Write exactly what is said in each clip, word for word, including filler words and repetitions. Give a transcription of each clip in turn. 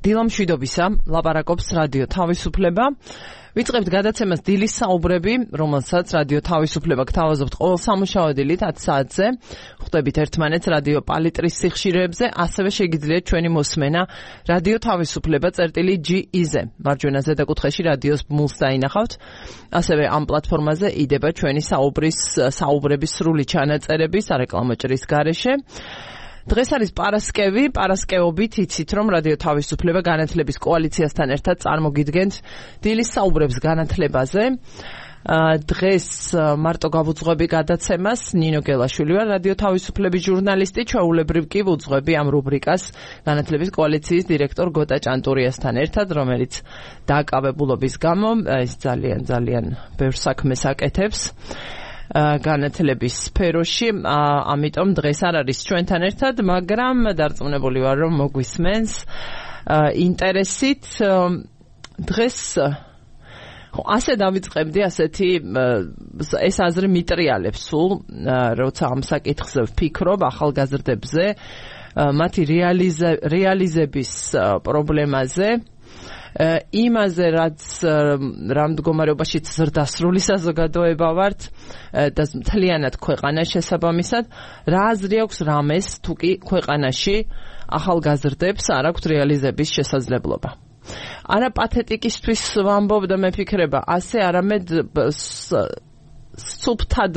დილამშვიდობისა, ლაპარაკობს რადიო თავისუფლება. ვიწყებთ გადაცემას დილის საუბრები, რომელსაც რადიო თავისუფლება გთავაზობთ ყოველ სამუშაო დილით ათ საათზე. ხვდებით ერთმანეთს რადიო პალიტრის სიხშირეებზე, ასევე შეგიძლიათ ჩვენი მოსმენა რადიო თავისუფლება წერტილი ჯი ი-ზე. მარჯვენა ზედაკუთხეში რადიოს ბმულს დაინახავთ. ასევე ამ პლატფორმაზე იდება ჩვენი საუბრის საუბრების სრული ჩანაწერები სარეკლამო ჭრის გარეშე. დღეს არის პარასკევი, პარასკევობით იცით, რომ რადიო თავისუფლება განათლების კოალიციასთან ერთად წარმოგიდგენთ დილის საუბრებს განათლებაზე. დღეს მარტო გავუძღვები გადაცემას, ნინო გელაშვილი ვარ, რადიო თავისუფლების ჟურნალისტი, ჩვეულებრივ კი ვუძღვები ამ რუბრიკას განათლების კოალიციის დირექტორ გოტა ჭანტურიასთან ერთად, რომელიც დააკავებულობის გამო ის ძალიან ძალიან ბევრ საქმეს აკეთებს განათლების სფეროში, ამიტომ დღეს არ არის ჩვენთან ერთად, მაგრამ დარწმუნებული ვარ, რომ მოგვისმენს ინტერესით. დღეს ასე დავიწყებდი, ასეთი ეს აზრი მიტრიალებს სულ, როცა ამ საკითხზე ვფიქრობ ახალგაზრდებზე, მათი რეალიზების პრობლემაზე, იმაზე, რაც რამ მდგომარეობაში ზრდასრული საზოგადოება ვართ და მთლიანად ქვეყანას შესაბამისად, რა აზრი აქვს რამეს, თუ კი ქვეყანაში ახალგაზრდებს არ აქვთ რეალიზების შესაძლებლობა. არა პათეტიკისთვის ვამბობ და მეფიქრება, ასე არამედ სუფთად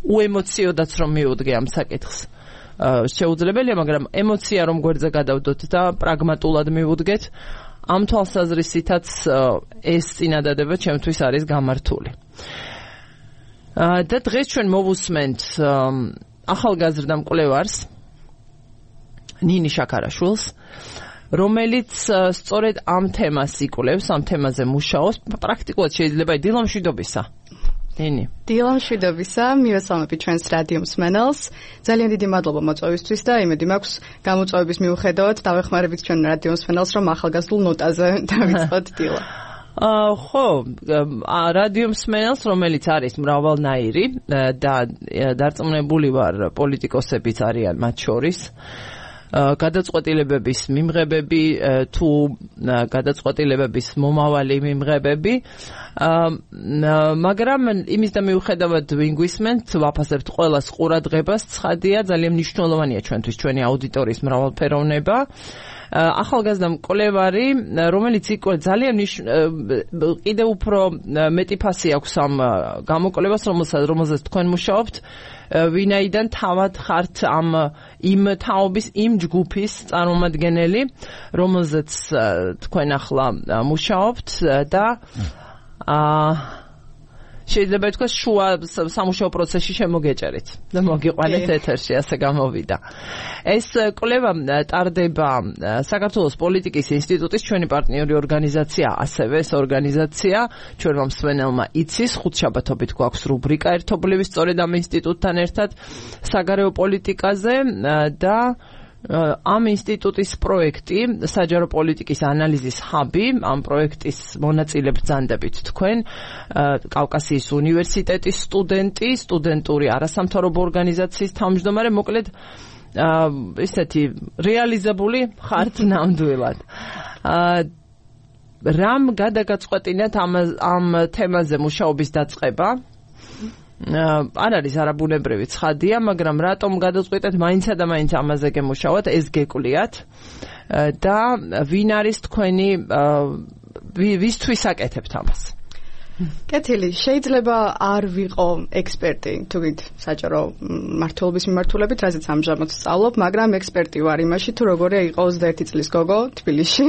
უემოციოდაც რომ მივუდგე ამ საკითხს. შეუძლებელია, მაგრამ ემოცია რომ გვერდზე გადავდოთ და პრაგმატულად მივუდგეთ, ამ თვალსაზრისითაც ეს წინადადება ჩემთვის არის გამართული. და დღეს ჩვენ მოვუსმენთ ახალგაზრდა მკვლევარს, ნინი შაქარაშვილს, რომელიც სწორედ ამ თემას იკვლევს, ამ თემაზე მუშაობს. პრაქტიკულად შეიძლება დილამშვიდობისა. ნინი. დილამშვიდობისა, მივესალმები ჩვენს რადიო მსმენელს. ძალიან დიდი მადლობა მოწვევისთვის და იმედი მაქვს გამოწვევების მიუხედავად დავეხმარებით ჩვენ რადიო მსმენელს, რომ ახალგაზრდულ ნოტაზე დავიწყოთ დილა. ხო, რადიო მსმენელს, რომელიც არის მრავალნაირი და დარწმუნებული ვარ, პოლიტიკოსებიც არიან მათ შორის. გადაწყვეტილებების მიმღებები თუ გადაწყვეტილებების მომავალი მიმღებები, მაგრამ იმის და მიუხედავად ვინ გვისმენთ, ვაფასებთ ყველას ყურადღებას, ცხადია, ძალიან მნიშვნელოვანია ჩვენთვის ჩვენი აუდიტორიის მრავალფეროვნება. ახალგაზრდა მკვლევარი, რომელიც იყო ძალიან კიდევ უფრო მეტი ფასი აქვს ამ გამოკვლევას, რომელზეც თქვენ მუშაობთ, ვინაიდან თავად ხართ ამ იმ თაობის, იმ ჯგუფის წარმომადგენელი, რომელზეც თქვენ ახლა მუშაობთ და შეიძლება ითქვას შუა სამუშაო პროცესში შემოგეჭერით და მოგიყვანეთ ეთერში, ასე გამოვიდა. ეს კვლევა ტარდება საქართველოს პოლიტიკის ინსტიტუტის ჩვენი პარტნიორი ორგანიზაცია, ასევე ეს ორგანიზაცია ჩვენმა მსმენელმა იცის, ხუთშაბათობით გვაქვს რუბრიკა ერთობლივი სწორედ ამ ინსტიტუტთან ერთად საგარეო პოლიტიკაზე და ამ ინსტიტუტის პროექტი, საჯარო პოლიტიკის ანალიზის ჰაბი, ამ პროექტის მონაწილე ბრძანდებით თქვენ, კავკასიის უნივერსიტეტის სტუდენტი, სტუდენტური არასამთავრობო ორგანიზაციის თავმჯდომარე, მოკლედ ესეთი რეალიზებული ხართ ნამდვილად. რამ გადაგაწყვეტინეთ ამ ამ თემაზე მუშაობის დაწყება? არ არის არაბუნებრივი ცხადია, მაგრამ რატომ გადაწყვეტეთ მაინცა და მაინც ამაზე გემუშაოთ, ეს გეკვლიათ და ვინ არის თქვენი, ვისთვის აკეთებთ ამას? კეთილი, შეიძლება არ ვიყო ექსპერტი, თუგით საჯარო მმართველობის მიმართულებით, რაზეც ამჟამად სწავლობ, მაგრამ ექსპერტი ვარ იმაში, თუ როგორია იყო ოცდაერთი წლის გოგო თბილისში.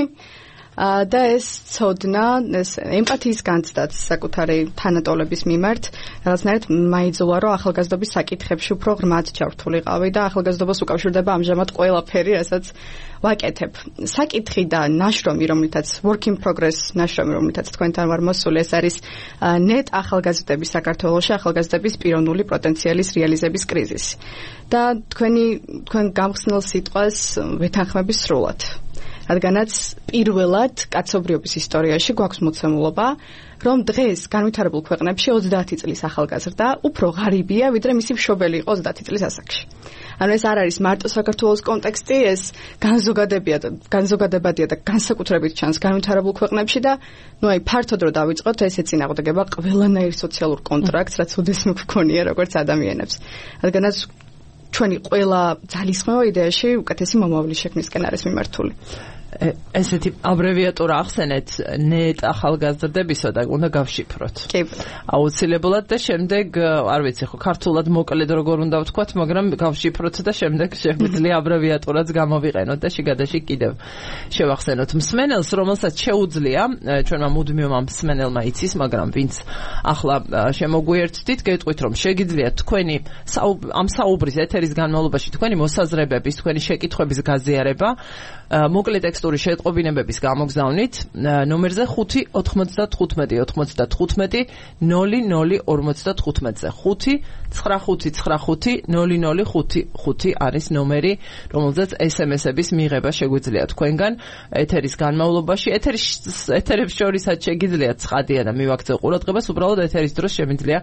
და ეს ცოდნა, ეს ემპათიის განცდაც საკუთარი თანატოლების მიმართ, რაღაცნაირად მაიძულა, რომ ახალგაზრდობის საკითხებში უფრო ღრმად ჩართულიყავი და ახალგაზრდობას უკავშირდება ამჟამად ყველაფერი, რასაც ვაკეთებ. საკითხი და ნაშრომი, რომლითაც work in progress ნაშრომი, რომლითაც თქვენთან ვარ მოსული, ეს არის ნეტ ახალგაზრდების საქართველოში, ახალგაზრდების პიროვნული პოტენციალის რეალიზების კრიზისი. და თქვენი თქვენ გამხსნელ სიტყვას ვეთანხმები სრულად. რადგანაც პირველად კაცობრიობის ისტორიაში გვაქვს მოცემულობა, რომ დღეს განვითარებულ ქვეყნებში ოცდაათი წლის ახალგაზრდა უფრო ღარიბია, ვიდრე მისი მშობელი იყო ოცდაათი წლის ასაკში. ანუ ეს არ არის მარტო საქართველოს კონტექსტი, ეს განზოგადებია და განზოგადებადია და განსაკუთრებით ჩანს განვითარებულ ქვეყნებში და ნუ აი ფართოდ რო დავიწყოთ, ეს ეწინააღმდეგება ყველანაირ სოციალურ კონტრაქტს, რაც უდესმე გვქონია როგორც ადამიანებს. რადგანაც ჩვენი ყველა ძალისხმევა იდეაში უკეთესი მომავლის შექმნისკენ არის მიმართული. ესეთი აბრევიატურა ახსენეთ ნეტ ახალგაზრდებისა და უნდა გავშიფროთ. კი. აუცილებლად და შემდეგ არ ვიცი ხო ქართულად მოკლედ როგორ უნდა ვთქვათ, მაგრამ გავშიფროთ და შემდეგ შეგვიძლია აბრევიატურაც გამოვიყენოთ და შიგადაში კიდევ შევახსენოთ მსმენელს, რომელსაც შეუძლია ჩვენმა მუდმივმა მსმენელმა იცის, მაგრამ ვინც ახლა შემოგვიერთდით, გეტყვით რომ შეგიძლიათ თქვენი ამ საუბრის ეთერის განმავლობაში თქვენი მოსაზრებების, თქვენი შეკითხვების გაზიარება მოკლე ტექსტური შეტყობინებების გამოგზავნით ნომერზე ხუთი ოთხმოცდათხუთმეტი ოცდათხუთმეტი ნული ნული ორმოცდათხუთმეტზე ხუთი ცხრა ხუთი ცხრა ხუთი ნული ნული ხუთი ხუთი არის ნომერი, რომელზეც ესემესების მიღება შეგვიძლია თქვენგან ეთერის განმავლობაში. ეთერის ეთერებს შორისაც შეგიძლიათ ცხადია და მივაქცე ყურადღებას, უბრალოდ ეთერის დროს შემიძლია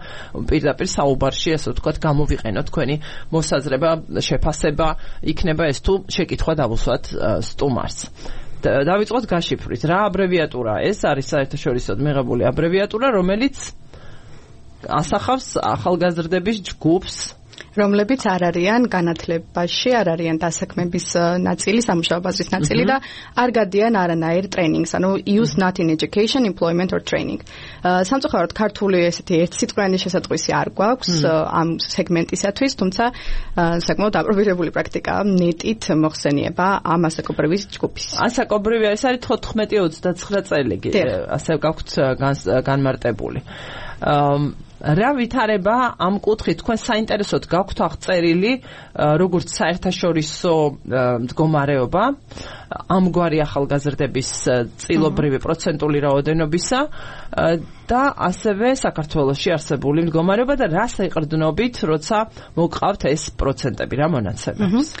პირდაპირ საუბარში, ასე ვთქვათ, გამოვიყენოთ თქვენი მოსაზრება, შეფასება, იქნება ეს თუ შეკითხვა დავუსვათ სტუმარს. დავიწყოთ გაშიფრით. რა აბრევიატურა ეს არის? საერთაშორისოდ მიღებული აბრევიატურა, რომელიც ასახავს ახალგაზრდების ჯგუფს, რომლებიც არ არიან განათლებაში, არ არიან დასაქმების ნაწილი, სამუშაო ბაზრის ნაწილი და არ გადიან არანაირ ტრენინგს, ანუ youth not in education, employment or training. სამწუხაროდ ქართული ესეთი ერთსიტყვიანი შესატყვისი არ გვაქვს ამ სეგმენტისათვის, თუმცა საკმაოდ აპრობირებული პრაქტიკაა ნეტით მოხსენიება ამ ასაკობრივის ჯგუფის. ასაკობრივი ეს არის თოთხმეტი ოცდაცხრა წელი, ასე გაქვთ განმარტებული. რა ვითარება ამ კუთხით თქვენ საინტერესოდ გაქვთ აღწერილი როგორც საერთაშორისო მდგომარეობა ამგვარი ახალგაზრდების წილობრივი პროცენტული რაოდენობისა და ასევე საქართველოში არსებული მდგომარეობა და რას ეყრდნობით, როცა მოგყავთ ეს პროცენტები, რა მონაცემებს?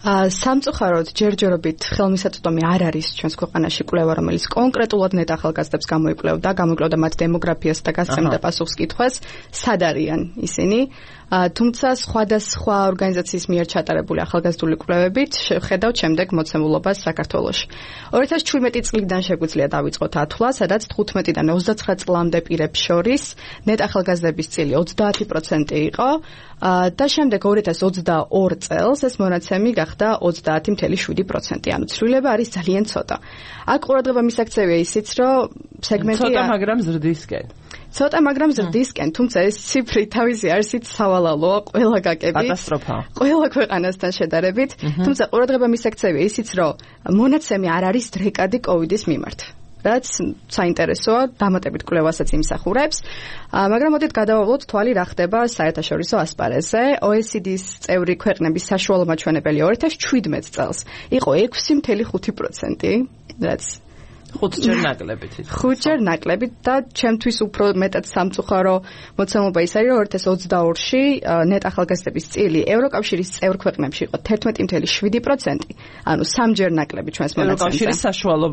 სამწუხაროდ ჯერჯერობით ხელმისაწვდომი არ არის ჩვენს ქვეყანაში კვლევა, რომელიც კონკრეტულად ნეტ ახალგაზრდებს გამოიკვლევდა, გამოიკვლევდა მათ დემოგრაფიას და გასცემდა პასუხს კითხვას, სად არიან ისინი. თუმცა სხვადასხვა ორგანიზაციის მიერ ჩატარებული ახალგაზრდული კვლევებით შევხედავთ შემდეგ მოცემულობას საქართველოში. ორი ათას შვიდმეტი წლიდან შეგვიძლია დავიწყოთ ათვლა, სადაც თხუთმეტიდან ოცდაცხრა წლამდე პირებს შორის ნეტ ახალგაზრდების წილი ოცდაათი პროცენტი იყო და შემდეგ ორი ათას ოცდაორ წელს ეს მონაცემი გახდა ოცდაათი წელი შვიდი პროცენტი, ანუ ცვლილება არის ძალიან ცოტა. აქ ყურადღება მისაქცევია ისიც, რომ სეგმენტი ცოტა, მაგრამ ზრდისკენ. ცოტა, მაგრამ ზრდისკენ, თუმცა ეს ციფრი თავისი არსით სავალალოა ყველა გაკებით. კატასტროფა. ყველა ქვეყანასთან შედარებით, თუმცა ყურადღება მისაქცევია ისიც, რომ მონაცემი არ არის დრეკადი კოვიდის მიმართ. რაც საინტერესოა, დამატებით კვლევასაც იმსახურებს, მაგრამ მოდით გადავავლოთ თვალი რა ხდება საერთაშორისო ასპარეზზე. O E C D-ის წევრი ქვეყნების საშუალო მაჩვენებელი ორი ათას შვიდმეტ წელს იყო ექვსი წელი ხუთი პროცენტი, რაც ხუთჯერ ნაკლებით. ხუთჯერ ნაკლებით და ჩემთვის უფრო მეტად სამწუხარო მოცემულობა ის არის, რომ ორი ათას ოცდაორში ნეტ ახალგაზრდების წილი ევროკავშირის წევრ ქვეყნებში იყო თერთმეტი წელი შვიდი პროცენტი, ანუ სამჯერ ნაკლები ჩვენს მონაცემზე. ევროკავშირის საშუალო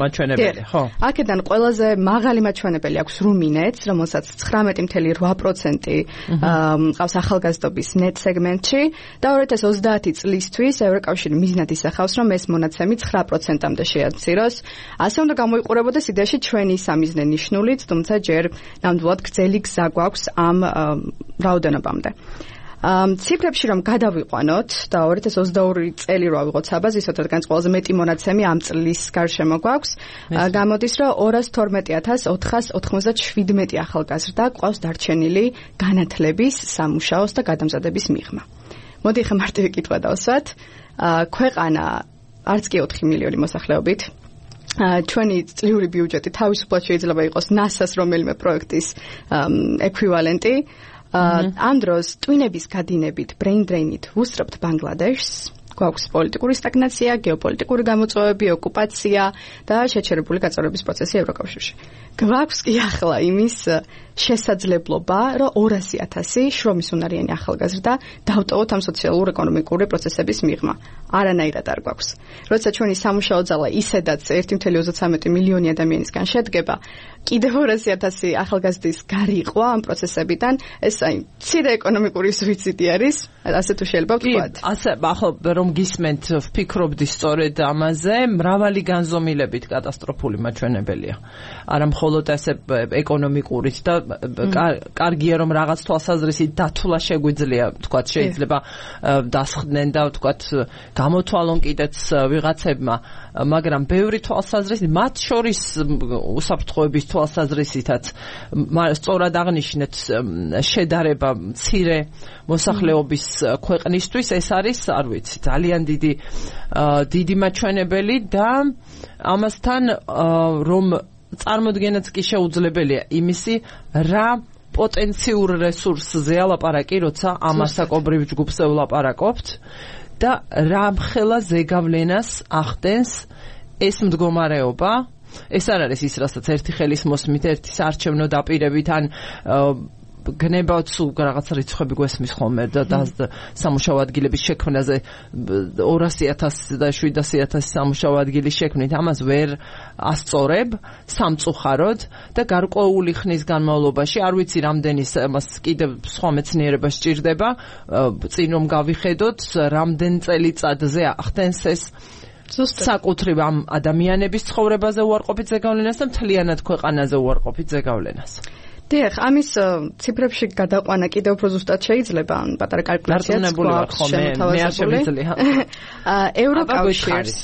მაჩვენებელი, ხო? აქედან ყველაზე მაღალი მაჩვენებელი აქვს რუმინეთს, რომელსაც ცხრამეტი წელი რვა პროცენტი ყავს ახალგაზრდობის ნეტ სეგმენტში და ორი ათას ოცდაათი წლისთვის ევროკავშირი მიზნად ისახავს, რომ ეს მონაცემი ცხრა პროცენტამდე შეაციროს. ასე უნდა გამოიყურებოდეს იდეაში ჩვენი სამიზნე ნიშნულიც, თუმცა ჯერ ნამდვილად გრძელი გზა გვაქვს ამ რაოდენობამდე. ციფრებში რომ გადავიყვანოთ და ორი ათას ოცდაორი წელი რო ავიღოთ საბაზისოდ, რადგან ყველაზე მეტი მონაცემი ამ წლის გარშემო გვაქვს, გამოდის, რომ ორას თორმეტი ათას ოთხას ოთხმოცდაშვიდმეტი ახალგაზრდა ყავს დარჩენილი განათლების, სამუშაოს და გადამზადების მიღმა. მოდი ხა მარტივი კითხვა დავსვათ. ქვეყანა არც კი ოთხი მილიონი მოსახლეობით ჩვენი წლიური ბიუჯეტი თავისუფლად შეიძლება იყოს ნასას რომელიმე პროექტის ეკვივალენტი. ამ დროს ტვინების გადინებით, brain drain-ით ვუსწრებთ ბანგლადეშს, გვაქვს პოლიტიკური სტაგნაცია, გეოპოლიტიკური გამოწვევები, ოკუპაცია და შეჩერებული გაწევრების პროცესი ევროკავშირში. გვაქვს კი ახლა იმის შესაძლებლობა, რომ ორასი ათასი შრომის უნარიანი ახალგაზრდა დავტოვოთ ამ სოციალურ-ეკონომიკური პროცესების მიღმა. არანაირად არ გვაქვს. როცა ჩვენი სამუშაო ძალა ისედაც ერთი წელი ოცდათვრამეტი მილიონი ადამიანისგან შედგება, კიდევ ორასი ათასი ახალგაზრდის გარიყვა ამ პროცესებიდან, ეს აი მცირე ეკონომიკური სუიციდი არის. ასე თუ შეიძლება ვთქვათ. ასე ახლა რომ გისმენთ ვფიქრობდი სწორედ ამაზე, მრავალი განზომილებით კატასტროფული მაჩვენებელია. არა მხოლოდ ასე ეკონომიკურით და კარგია რომ რაღაც თვალსაზრისით დათვლა შეგვიძლია, ვთქვათ, შეიძლება დასხდნენ და ვთქვათ გამოთვალონ კიდეც ვიღაცებმა, მაგრამ ბევრი თვალსაზრისით, მათ შორის უსაფრთხოების თვალსაზრისითაც სწორად აღნიშნეთ შედარება მცირე მოსახლეობის ქვეყნისთვის, ეს არის, არ ვიცი, ძალიან დიდი დიდი მაჩვენებელი და ამასთან რომ წარმოდგენაც კი შეუძლებელია იმისი, რა პოტენციურ რესურსზეა ლაპარაკი, როცა ამ ასაკობრივ ჯგუფს ვლაპარაკობთ და რა მხელა ზეგავლენას ახდენს ეს მდგომარეობა. ეს არ არის ის, რასაც ერთი ხელის მოსმით, ერთი საარჩევნო დაპირებით ან გნებავთ სულ რაღაც რიცხვები გვესმის ხოლმე და სამუშაო ადგილების შექმნაზე ორასი ათასი და შვიდასი ათასი სამუშაო ადგილის შექმნით ამას ვერ ასწორებ სამწუხაროდ და გარკვეული ხნის განმავლობაში არ ვიცი რამდენი მას კიდევ სხვა მეცნიერება სჭირდება წინ რომ გავიხედოთ რამდენ წელიწადზე ახდენს ეს საკუთრივ ამ ადამიანების ცხოვრებაზე უარყოფით ზეგავლენას და მთლიანად ქვეყანაზე უარყოფით ზეგავლენას. დიახ, ამის ციფრებში გადაყვანა კიდევ უფრო ზუსტად შეიძლება, ან პატარა კალკულაციაც გვაქვს შემოთავაზებული. ევროკავშირის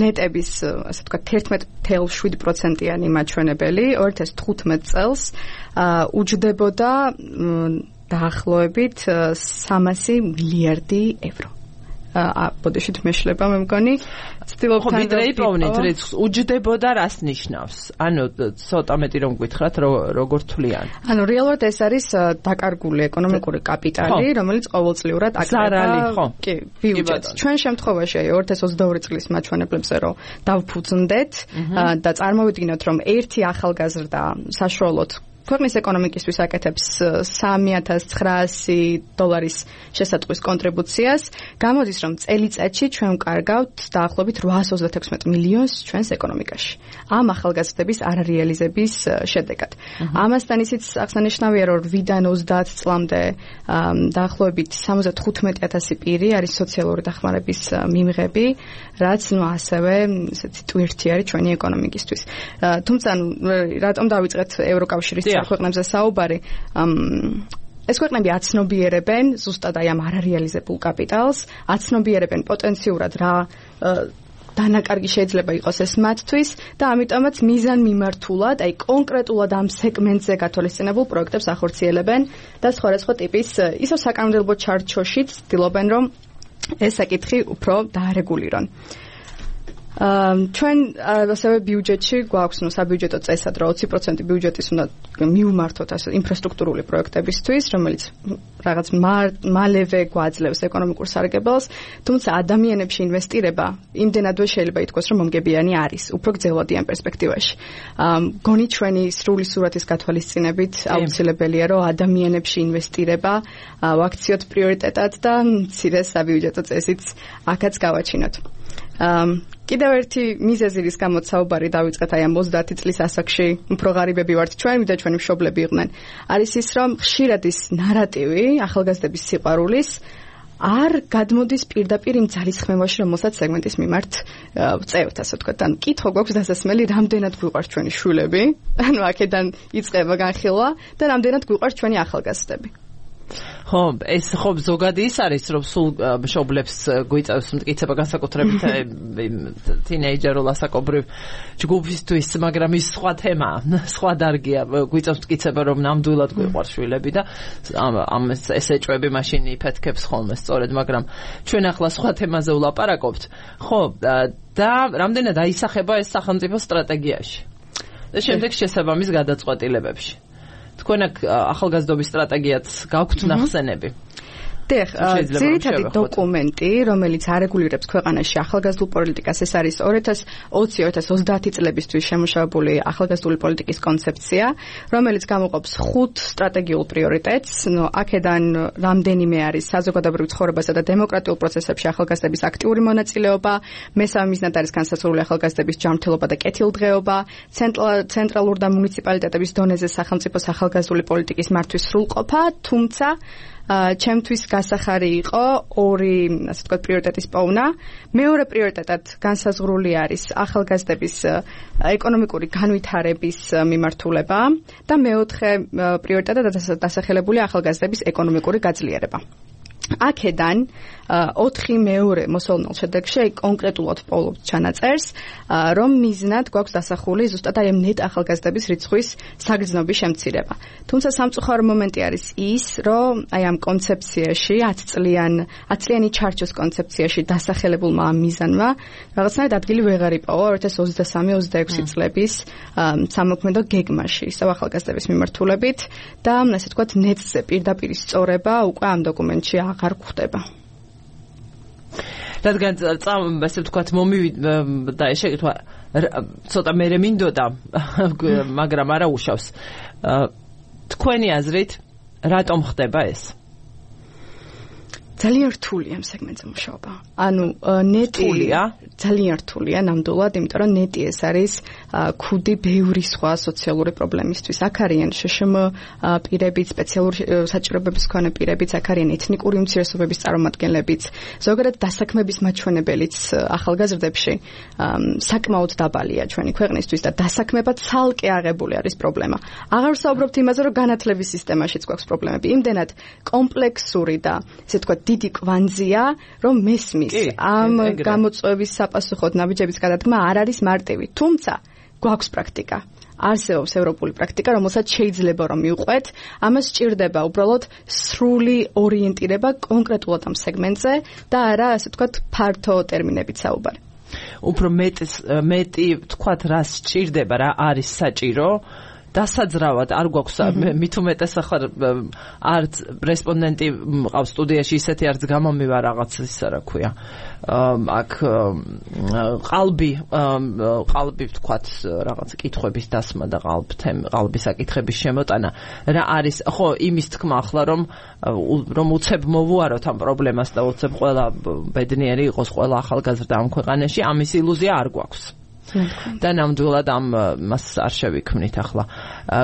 ნეტების, ასე ვთქვათ, თერთმეტი ფاصლე შვიდი პროცენტიანი მაჩვენებელი ორი ათას თხუთმეტ წელს უჯდებოდა დაახლოებით სამასი მილიარდი ევრო. ბოდიშით მეშლება მე მგონი ცდილობ თან იპოვნით რიცხვს უჯდებოდა რას ნიშნავს ანუ ცოტა მეტი რომ გითხრათ როგორ თვლიან ანუ რეალურად ეს არის დაკარგული ეკონომიკური კაპიტალი რომელიც ყოველწლიურად აკრება კი ბიუჯეტს ჩვენ შემთხვევაში ორი ათას ოცდაორი წლის მაჩვენებლებზე რომ დავფუძნდეთ და წარმოვიდგინოთ რომ ერთი ახალგაზრდა საშუალოდ ქვეყნის ეკონომიკისთვის აკეთებს სამი ათას ცხრაასი დოლარის შესატყვის კონტრიბუციას, გამოდის რომ წელიწადში ჩვენ ვკარგავთ დაახლოებით ოთხას ოცდათექვსმეტ მილიონს ჩვენს ეკონომიკაში. ამ ახალგაზრდების არარეალიზების შედეგად. ამასთან ისიც აღსანიშნავია, რომ რვიდან ოცდაათ წლამდე დაახლოებით სამოცდათხუთმეტი ათასი პირი არის სოციალური დახმარების მიმღები, რაც ნუ ასევე ესეთი ტვირთი არის ჩვენი ეკონომიკისთვის. თუმცა რატომ დავიწყეთ ევროკავშირის ქვეყნებზე საუბარი ეს ქვეყნები აცნობიერებენ ზუსტად აი ამ არარეალიზებულ კაპიტალს, აცნობიერებენ პოტენციურად რა დანაკარგი შეიძლება იყოს ეს მათთვის და ამიტომაც მიზანმიმართულად, აი კონკრეტულად ამ სეგმენტზე გათვალისწინებულ პროექტებს ახორციელებენ და სხვადასხვა ტიპის ისევ საკანონმდებლო ჩარჩოშიც ცდილობენ რომ ეს საკითხი უფრო დაარეგულირონ. ჩვენ ასევე ბიუჯეტში გვაქვს ნუ საბიუჯეტო წესად რომ ოცი პროცენტი ბიუჯეტის უნდა მივმართოთ ასე ინფრასტრუქტურული პროექტებისთვის, რომელიც რაღაც მალევე გვაძლევს ეკონომიკურ სარგებელს, თუმცა ადამიანებში ინვესტირება იმდენადვე შეიძლება ითქვას, რომ მომგებიანი არის, უფრო გრძელვადიან პერსპექტივაში. გონი ჩვენი სრული სურათის გათვალისწინებით აუცილებელია, რომ ადამიანებში ინვესტირება ვაქციოთ პრიორიტეტად და მცირე საბიუჯეტო წესიც აქაც გავაჩინოთ. კიდევ ერთი მიზეზი რის გამოც საუბარი დავიწყეთ აი ამ ოცდაათი წლის ასაკში უფრო ღარიბები ვართ ჩვენ ვიდრე ჩვენი მშობლები იყვნენ არის ის რომ ხშირად ის ნარატივი ახალგაზრდების სიყვარულის არ გადმოდის პირდაპირ იმ ძალისხმევაში რომელსაც სეგმენტის მიმართ ვწევთ ასე ვთქვათ ან კითხვა გვაქვს დასასმელი რამდენად გვიყვარს ჩვენი შვილები ანუ აქედან იწყება განხილვა და რამდენად გვიყვარს ჩვენი ახალგაზრდები ხო, ეს ხო ზოგადი ის არის, რომ სულ მშობლებს გვიწევს მტკიცება განსაკუთრებით თინეიჯერულ ასაკობრივ ჯგუფისთვის, მაგრამ ის სხვა თემაა, სხვა დარგია, გვიწევს მტკიცება, რომ ნამდვილად გვიყვარს შვილები და ამ ეს ეჭვები მაშინ იფეთქებს ხოლმე სწორედ, მაგრამ ჩვენ ახლა სხვა თემაზე ვლაპარაკობთ. ხო, და რამდენად აისახება ეს სახელმწიფო სტრატეგიაში და შემდეგ შესაბამის გადაწყვეტილებებში. თქვენ აქ ახალგაზრდობის სტრატეგიაც გაქვთ ნახსენები. დიახ, ძირითადი დოკუმენტი, რომელიც არეგულირებს ქვეყანაში ახალგაზრდულ პოლიტიკას, ეს არის ორი ათას ოცი ორი ათას ოცდაათი წლებისთვის შემუშავებული ახალგაზრდული პოლიტიკის კონცეფცია, რომელიც გამოყოფს ხუთ სტრატეგიულ პრიორიტეტს. ნუ აქედან რამდენიმე არის საზოგადოებრივ ცხოვრებასა და დემოკრატიულ პროცესებში ახალგაზრდების აქტიური მონაწილეობა, მესამე მიზნად არის განსაცდელი ახალგაზრდების ჯანმრთელობა და კეთილდღეობა, ცენტრალურ და მუნიციპალიტეტების დონეზე სახელმწიფოს ახალგაზრდული პოლიტიკის მართვის სრულყოფა, თუმცა ჩემთვის გასახარი იყო ორი, ასე ვთქვათ, პრიორიტეტის პოვნა. მეორე პრიორიტეტად განსაზღვრული არის ახალგაზრდების ეკონომიკური განვითარების მიმართულება და მეოთხე პრიორიტეტად დასახელებულია ახალგაზრდების ეკონომიკური გაძლიერება. აქედან ოთხი მეორე მოსალოდნელ შედეგში კონკრეტულად პოულობთ ჩანაწერს, რომ მიზნად გვაქვს დასახული ზუსტად აი ამ ნეტ ახალგაზრდების რიცხვის საგრძნობის შემცირება. თუმცა სამწუხარო მომენტი არის ის, რომ აი ამ კონცეფციაში ათი წლიან ათი წლიანი ჩარჩოს კონცეფციაში დასახელებულმა ამ მიზანმა რაღაცნაირად ადგილი ვეღარ იპოვა ორი ათას ოცდასამი ოცდაექვსი წლების სამოქმედო გეგმაში ისევ ახალგაზრდების მიმართულებით და ასე ვთქვათ ნეტზე პირდაპირ სწორება უკვე ამ დოკუმენტში აღარ გვხდება. რადგან ასე ვთქვათ მომივიდა ეს შეკითხვა ცოტა მერე მინდოდა მაგრამ არა უშავს თქვენი აზრით რატომ ხდება ეს? ძალიან რთულია ამ სეგმენტზე მუშაობა. ანუ ნეტი ძალიან რთულია ნამდვილად, იმიტომ რომ ნეტი ეს არის ქუდი ბევრი სხვა სოციალური პრობლემისთვის. აქ არიან შშმ პირებიც, სპეციალური საჭიროებების მქონე პირებიც, აქ არიან ეთნიკური უმცირესობების წარმომადგენლებიც, ზოგადად დასაქმების მაჩვენებელიც ახალგაზრდებში საკმაოდ დაბალია ჩვენი ქვეყნისთვის და დასაქმება ცალკე აღებული არის პრობლემა. აღარ ვსაუბრობთ იმაზე, რომ განათლების სისტემაშიც გვაქვს პრობლემები. იმდენად კომპლექსური და ესე ვთქვათ დიდი კვანძია, რომ მესმის ამ გამოწვევის საპასუხოდ ნაბიჯების გადადგმა არ არის მარტივი. თუმცა გვაქვს პრაქტიკა. არსებობს ევროპული პრაქტიკა, რომელსაც შეიძლება რომ მივყვეთ, ამას სჭირდება უბრალოდ სრული ორიენტირება კონკრეტულად ამ სეგმენტზე და არა, ასე ვთქვათ, ფართო ტერმინებით საუბარი. უფრო მეტი მეტი ვთქვათ, რა სჭირდება, რა არის საჭირო დასაძრავად არ გვაქვს მით უმეტეს ახლა არც რესპონდენტი მყავს სტუდიაში ისეთი არც გამომივა რაღაც ისა რა ქვია აქ ყალბი ყალბი ვთქვათ რაღაც კითხვების დასმა და ყალბთემ ყალბის საკითხების შემოტანა რა არის ხო იმის თქმა ახლა რომ რომ უცებ მოვუაროთ ამ პრობლემას და უცებ ყველა ბედნიერი იყოს ყველა ახალგაზრდა ამ ქვეყანაში ამის ილუზია არ გვაქვს და ნამდვილად ამ მას არ შევიქმნით ახლა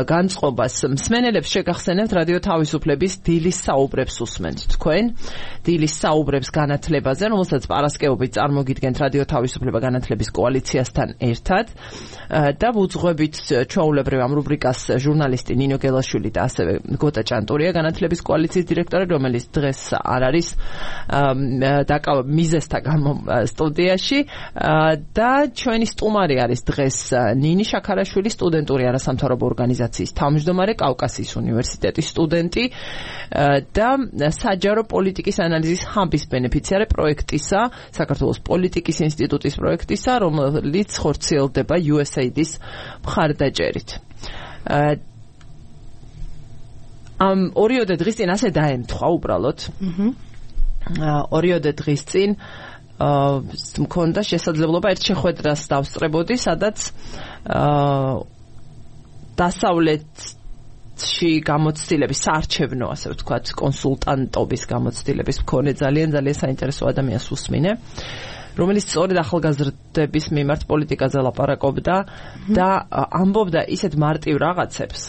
განწყობას მსმენელებს შეგახსენებთ რადიო თავისუფლების დილის საუბრებს უსმენთ თქვენ დილის საუბრებს განათლებაზე რომელსაც პარასკევობით წარმოგიდგენთ რადიო თავისუფლება განათლების კოალიციასთან ერთად და ვუძღვებით ჩვეულებრივ ამ რუბრიკას ჟურნალისტი ნინო გელაშვილი და ასევე გოტა ჭანტურია განათლების კოალიციის დირექტორი რომელიც დღეს არ არის დაკავ მიზესთა გამო სტუდიაში და ჩვენი სტუმარი არის დღეს ნინი შაქარაშვილი სტუდენტური არასამთავრობო ორგანიზაციის თავმჯდომარე კავკასიის უნივერსიტეტის სტუდენტი და საჯარო პოლიტიკის ანალიზის ჰაბის ბენეფიციარი პროექტისა საქართველოს პოლიტიკის ინსტიტუტის პროექტისა რომელიც ხორციელდება იუ ეს ეი დის მხარდაჭერით ამ ორიოდე დღის წინ ასე დაემთხვა უბრალოდ ორიოდე დღის წინ მქონდა შესაძლებლობა ერთ შეხვედრას დავსწრებოდი, სადაც დასავლეთში გამოცდილების საარჩევნო, ასე ვთქვათ, კონსულტანტობის გამოცდილების მქონე ძალიან ძალიან საინტერესო ადამიანს უსმინე, რომელიც სწორედ ახალგაზრდების მიმართ პოლიტიკაზე ლაპარაკობდა და ამბობდა ისეთ მარტივ რაღაცებს,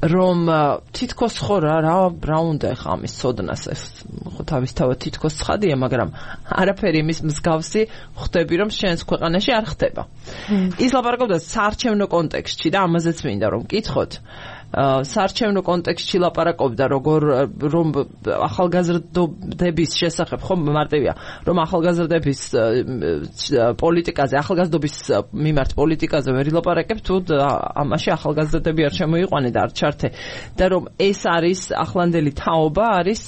რომ თითქოს ხო რა რა უნდა ხა ამის ცოდნას ეს ხო თავისთავად თითქოს ცხადია მაგრამ არაფერი იმის მსგავსი ხვდები რომ შენს ქვეყანაში არ ხდება ის ლაპარაკობდა საარჩევნო კონტექსტში და ამაზეც მინდა რომ მკითხოთ საარჩევნო კონტექსტში ლაპარაკობდა როგორ რომ ახალგაზრდობის შესახებ ხო მარტივია რომ ახალგაზრდების პოლიტიკაზე ახალგაზრდობის მიმართ პოლიტიკაზე ვერ ილაპარაკებ თუ ამაში ახალგაზრდები არ შემოიყვანე და არ ჩართე და რომ ეს არის ახლანდელი თაობა არის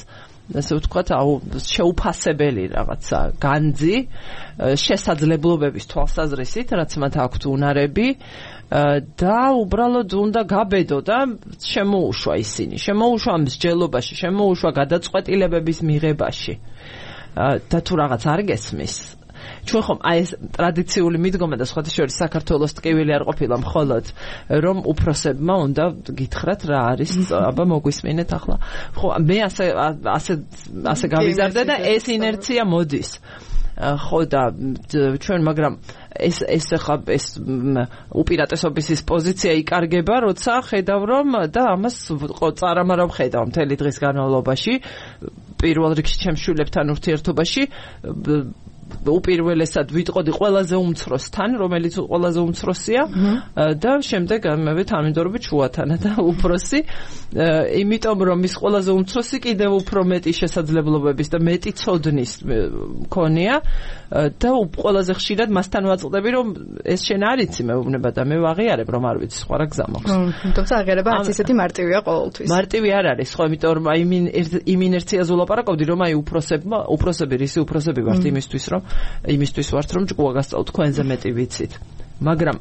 ასე ვთქვათ აუ შეუფასებელი რაღაცა განძი შესაძლებლობების თვალსაზრისით რაც მათ აქვთ უნარები და უბრალოდ უნდა გაბედო და შემოუშვა ისინი შემოუშვა მსჯელობაში შემოუშვა გადაწყვეტილებების მიღებაში და თუ რაღაც არ გესმის ჩვენ ხომ აი ეს ტრადიციული მიდგომა და სხვათა შორის საქართველოს ტკივილი არ ყოფილა მხოლოდ რომ უფროსებმა უნდა გითხრათ რა არის აბა მოგვისმინეთ ახლა ხო მე ასე ასე ასე გავიზარდე და ეს ინერცია მოდის ხო და ჩვენ მაგრამ ეს ეს ხა ეს უპირატესობის ის პოზიცია იკარგება, როცა ხედავ რომ და ამას წარამარავ ხედავ მთელი დღის განმავლობაში პირველ რიგში ჩემს შვილებთან ურთიერთობაში უპირველესად ვიტყოდი ყველაზე უმცროსთან, რომელიც ყველაზე უმცროსია და შემდეგ მე თანმიმდევრობით შუათანა და უფროსი, იმიტომ რომ ის ყველაზე უმცროსი კიდევ უფრო მეტი შესაძლებლობების და მეტი ცოდნის მქონია და ყველაზე ხშირად მასთან ვაწყდები რომ ეს შენ არ იცი მეუბნება და მე ვაღიარებ რომ არ ვიცი სხვა რა გზა მაქვს. თუმცა აღიარება არც ისეთი მარტივია ყოველთვის. მარტივი არ არის, ხო, იმიტომ რომ აი იმ ინერციაზე ვლაპარაკობდი რომ აი უფროსებმა, უფროსები რისი უფროსები ვართ იმისთვის რომ იმისთვის ვართ რომ ჭკუა გასწავლოთ თქვენზე მეტი ვიცით. მაგრამ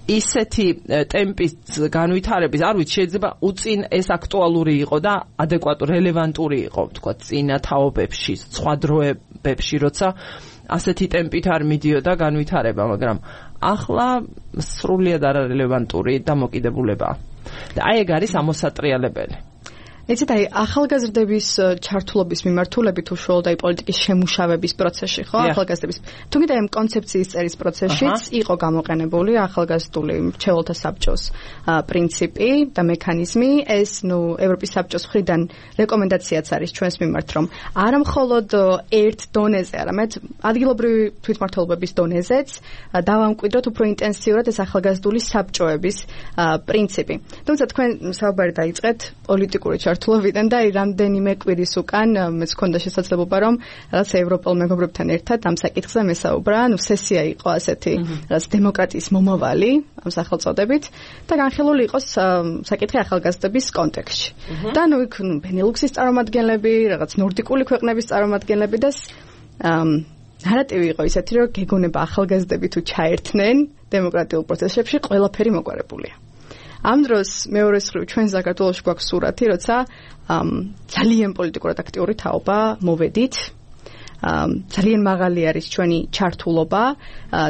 ისეთი ტემპის განვითარების, არ ვიცი, შეიძლება უწინ ეს აქტუალური იყო და ადეკვატური, რელევანტური იყო, თქვა, წინა თაობებში, სხვა დროებებში, როცა ასეთი ტემპით არ მიდიოდა განვითარება, მაგრამ ახლა სრულიად არარელევანტური დამოკიდებულებაა. და აი ეგ არის ამოსატრიალებელი. იცით, აი ახალგაზრდების ჩართულობის მიმართულებით უშუალოდ აი პოლიტიკის შემუშავების პროცესში, ხო? ახალგაზრდების. თუმცა ამ კონცეფციის წერის პროცესშიც იყო გამოყენებული ახალგაზრდული მრჩეველთა საბჭოს პრინციპი და მექანიზმი. ეს, ნუ, ევროპის საბჭოს მხრიდან რეკომენდაციაც არის ჩვენს მიმართ, რომ არა მხოლოდ ერთ დონეზე, არამედ ადგილობრივი თვითმმართველობების დონეზეც დავამკვიდროთ უფრო ინტენსიურად ეს ახალგაზრდული საბჭოების პრინციპი. თუმცა თქვენ საუბარი დაიწყეთ პოლიტიკური ჩართულობიდან და აი რამდენიმე კვირის უკან მეც მქონდა შესაძლებლობა რომ რაღაც ევროპელ მეგობრებთან ერთად ამ საკითხზე მესაუბრა, ნუ სესია იყო ასეთი რაღაც დემოკრატიის მომავალი ამ სახელწოდებით და განხილული იყოს საკითხი ახალგაზრდების კონტექსტში. და ნუ იქ ბენელუქსის წარმომადგენლები, რაღაც ნორდიკული ქვეყნების წარმომადგენლები და ნარატივი იყო ისეთი, რომ გეგონება ახალგაზრდები თუ ჩაერთნენ დემოკრატიულ პროცესებში, ყველაფერი მოგვარებულია. ამ დროს მეორე მხრივ ჩვენ საქართველოში გვაქვს სურათი, როცა ძალიან პოლიტიკურად აქტიური თაობა მოვედით. ძალიან მაღალი არის ჩვენი ჩართულობა,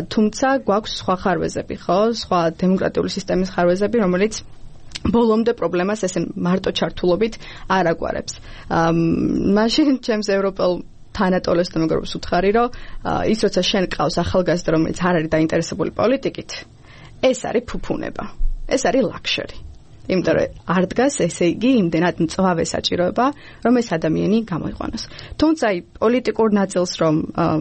თუმცა გვაქვს სხვა ხარვეზები, ხო? სხვა დემოკრატიული სისტემის ხარვეზები, რომელიც ბოლომდე პრობლემას ესე მარტო ჩართულობით არ აგვარებს. მაშინ ჩემს ევროპელ თანატოლეს და მეგობრებს ვუთხარი, რომ ის როცა შენ ყავს ახალგაზრდა, რომელიც არ არის დაინტერესებული პოლიტიკით, ეს არის ფუფუნება. ეს არის ლაქშერი. იმიტომ რომ არ დგას, ესე იგი, იმდენად მწვავე საჭიროება, რომ ეს ადამიანი გამოიყვანოს. თუმცა აი პოლიტიკურ ნაწილს რომ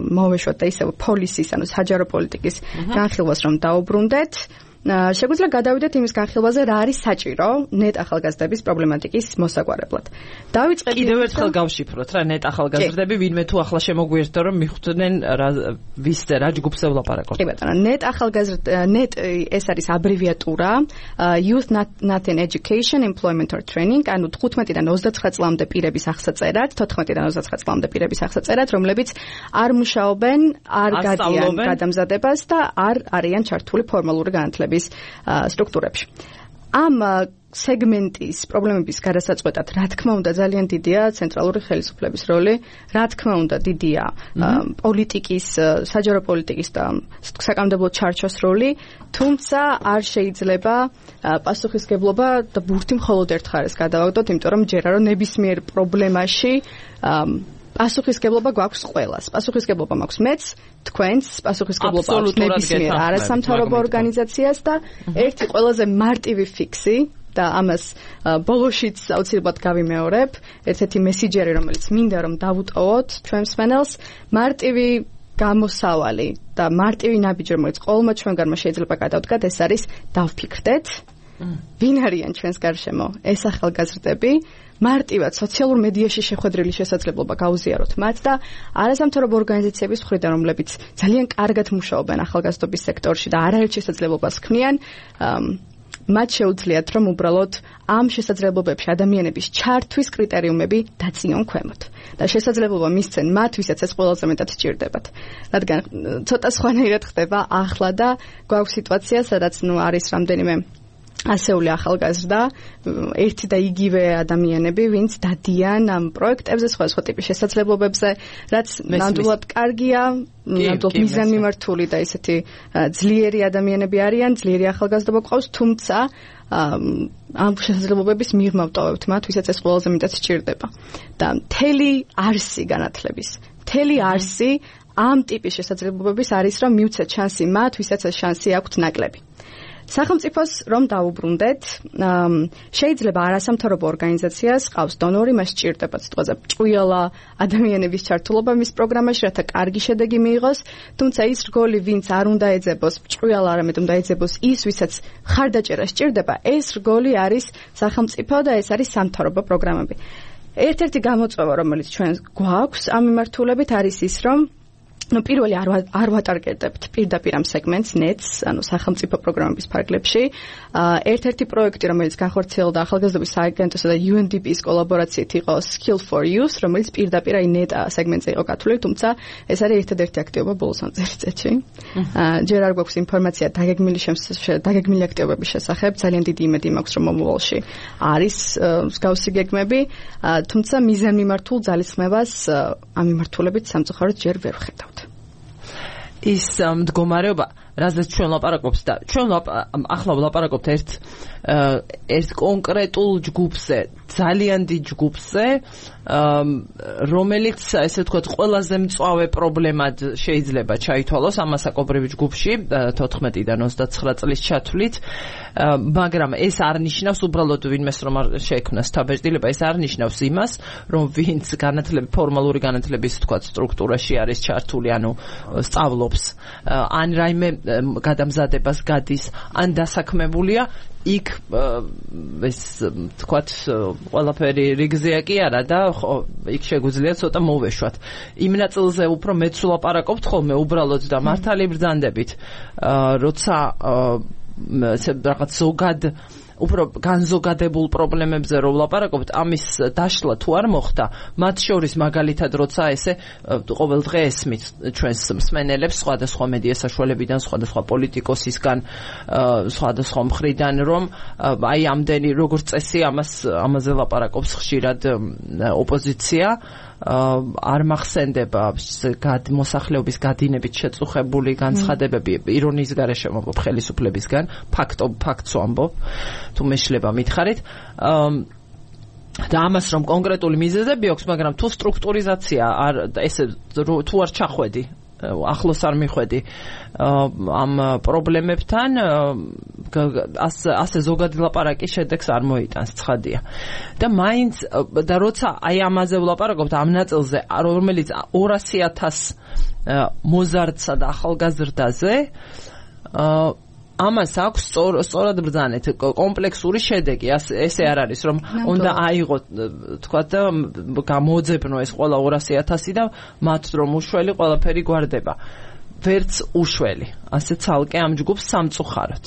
მოვეშვათ და ისევ პოლისის, ანუ საჯარო პოლიტიკის განხილვას რომ დაუბრუნდეთ, შეგვიძლია გადავიდეთ იმის განხილვაზე, რა არის საჭირო ნეტ ახალგაზრდების პრობლემატიკის მოსაგვარებლად. დავიწყეთ კიდევ ერთხელ გავშიფროთ რა ნეტ ახალგაზრდები, ვინმე თუ ახლა შემოგვიერთდა რომ მიხვდნენ ვის რა ჯგუფზე ვლაპარაკობთ. კი ბატონო, ნეტ ახალგაზრდა ნეტ ეს არის აბრევიატურა Youth Not in Education, Employment or Training, ანუ თხუთმეტიდან ოცდაცხრა წლამდე პირების აღსაწერად, თოთხმეტიდან ოცდაცხრა წლამდე პირების აღსაწერად, რომლებიც არ მუშაობენ, არ გადიან გადამზადებას და არ არიან ჩართული ფორმალური განათლების სტრუქტურებში. ამ სეგმენტის პრობლემების გადასაწყვეტად, რა თქმა უნდა, ძალიან დიდია ცენტრალური ხელისუფლების როლი, რა თქმა უნდა, დიდია პოლიტიკის, საჯარო პოლიტიკის და საკანონმდებლო ჩარჩოს როლი, თუმცა არ შეიძლება პასუხისგებლობა და ბურთი მხოლოდ ერთ მხარეს გადავაგდოთ, იმიტომ რომ ჯერა რომ ნებისმიერ პრობლემაში პასუხისგებლობა გვაქვს ყველას. პასუხისგებლობა მაქვს მეც, თქვენს, პასუხისგებლობა აქვს ნებისმიერ არასამთავრობო ორგანიზაციას და ერთი ყველაზე მარტივი ფიქსი და ამას ბოლოშიც აუცილებლად გავიმეორებ, ერთ-ერთი მესიჯერი, რომელიც მინდა რომ დავუტოვოთ ჩვენ მსმენელს, მარტივი გამოსავალი და მარტივი ნაბიჯი, რომელიც ყოველმა ჩვენგანმა შეიძლება გადავდგათ, ეს არის დავფიქრდეთ, ვინ არიან ჩვენს გარშემო ეს ახალგაზრდები, მარტივად სოციალურ მედიაში შეხვედრილი შესაძლებლობა გაუზიაროთ მათ და არასამთავრობო ორგანიზაციების მხრიდან, რომლებიც ძალიან კარგად მუშაობენ ახალგაზრდობის სექტორში და არაერთ შესაძლებლობას ქმნიან, მათ შეუძლიათ რომ უბრალოდ ამ შესაძლებლობებში ადამიანების ჩართვის კრიტერიუმები დაწიონ ქვემოთ და შესაძლებლობა მისცენ მათ, ვისაც ეს ყველაზე მეტად სჭირდებათ. რადგან ცოტა სხვანაირად ხდება ახლა და გვაქვს სიტუაცია, სადაც ნუ არის რამდენიმე ასეული ახალგაზრდა, ერთი და იგივე ადამიანები, ვინც დადიან ამ პროექტებზე, სხვადასხვა ტიპის შესაძლებლობებზე, რაც ნამდვილად კარგია, ნამდვილად მიზანმიმართული და ისეთი ძლიერი ადამიანები არიან, ძლიერი ახალგაზრდობა გვყავს, თუმცა ამ შესაძლებლობების მიღმა ვტოვებთ მათ, ვისაც ეს ყველაზე მეტად სჭირდება. და მთელი არსი განათლების, მთელი არსი ამ ტიპის შესაძლებლობების არის, რომ მივცეთ შანსი მათ, ვისაც ეს შანსი აქვთ ნაკლები. სახელმწიფოს რომ დაუბრუნდეთ, შეიძლება არასამთავრობო ორგანიზაციას ყავს დონორი, მას სჭირდება სიტყვაზე ჭვიალა ადამიანების ჩართულობა მის პროგრამაში, რათა კარგი შედეგი მიიღოს, თუმცა ის რგოლი, ვინც არ უნდა ეძებოს ჭვიალა, არამედ უნდა ეძებოს ის, ვისაც ხარდაჭერა სჭირდება, ეს რგოლი არის სახელმწიფო და ეს არის სამთავრობო პროგრამები. ერთ-ერთი გამოწვევა, რომელიც ჩვენ გვაქვს ამ მიმართულებით, არის ის, რომ ну პირველი არ არ ვატარგეტებთ პირდაპირ ამ სეგმენტს ნეტს, ანუ სახელმწიფო პროგრამების ფარგლებში. ერთ-ერთი პროექტი, რომელიც განხორციელდა ახალგაზრდობის სააგენტოსა და იუ ენ დი პი-ის კოლაბორაციით იყო Skill for Youth, რომელიც პირდაპირ აი ნეტ სეგმენტზე იყო გათვლილი, თუმცა ეს არის ერთადერთი აქტივობა ბოლოს ამ წელიწადში. ჯერ არ გვაქვს ინფორმაცია დაგეგმილი დაგეგმილი აქტივობების შესახებ, ძალიან დიდი იმედი მაქვს, რომ მომავალში არის მსგავსი გეგმები, თუმცა მიზანმიმართულ ძალისხმევას ამ მიმართულებით სამწუხაროდ ჯერ ვერ ვხედავთ. ის მდგომარეობა, რაზეც ჩვენ ლაპარაკობთ და ჩვენ ახლა ვლაპარაკობთ ერთ ერთ კონკრეტულ ჯგუფზე, ძალიან დიდ ჯგუფზე, რომელიც ესე ვთქვათ ყველაზე მწვავე პრობლემად შეიძლება ჩაითვალოს ამ მასაკობრივ ჯგუფში თოთხმეტიდან ოცდაცხრა წლის ჩათვლით, მაგრამ ეს არ ნიშნავს უბრალოდ ვინმეს რომ არ შეექმნას თავბეჭდილება, ეს არ ნიშნავს იმას, რომ ვინც განათლების ფორმალური განათლების ვთქვათ სტრუქტურაში არის ჩართული, ანუ სწავლობს, ან რაიმე გადამზადებას გადის, ან დასაქმებულია, იქ ეს თქვათ ყველაფერი რიგზეა კი არა და იქ შეგვიძლია ცოტა მოვეშვათ. იმ ნაწილზე უფრო მეც ვლაპარაკობთ ხოლმე უბრალოდ და მართალი ბრძანდებით, როცა რაღაც ზოგად უფრო განზოგადებულ პრობლემებზე რომ ვლაპარაკობთ, ამის დაშლა თუ არ მოხდა, მათ შორის მაგალითად როცა ესე ყოველდღე ესმით ჩვენს მსმენელებს სხვადასხვა მედია საშუალებიდან, სხვადასხვა პოლიტიკოსისგან, სხვადასხვა მხრიდან, რომ აი ამდენი როგორც წესი ამას ამაზე ლაპარაკობს ხშირად ოპოზიცია, არ მახსენდება მოსახლეობის გადინებით შეწუხებული განცხადებები ირონიის გარეშე მომბობ ხელისუფლებისგან, ფაქტო ფაქტს ვამბობ, თუ მეშლება მითხარით, და ამას რომ კონკრეტული მიზეზები აქვს, მაგრამ თუ სტრუქტურიზაცია არ ესე თუ არ ჩახვედი, ახლოს არ მიხვედი ამ პრობლემებთან, ასე ზოგადი ლაპარაკი შედეგს არ მოიტანს, ცხადია. და მაინც და როცა აი ამაზე ვლაპარაკობთ ამ ნაწილზე, რომელიც ორასი ათას მოზარდსა და ახალგაზრდაზე, ამას აქვს სწორად ბრძანეთ კომპლექსური შედეგი, ესე არ არის, რომ უნდა აიღოთ, თქვა და გამოძებნო ეს ყველა ორასი ათასი და მათ რომ უშველი ყველაფერი გვარდება. ვერც უშველი, ასე ცალკე ამ ჯგუფს სამწუხაროდ.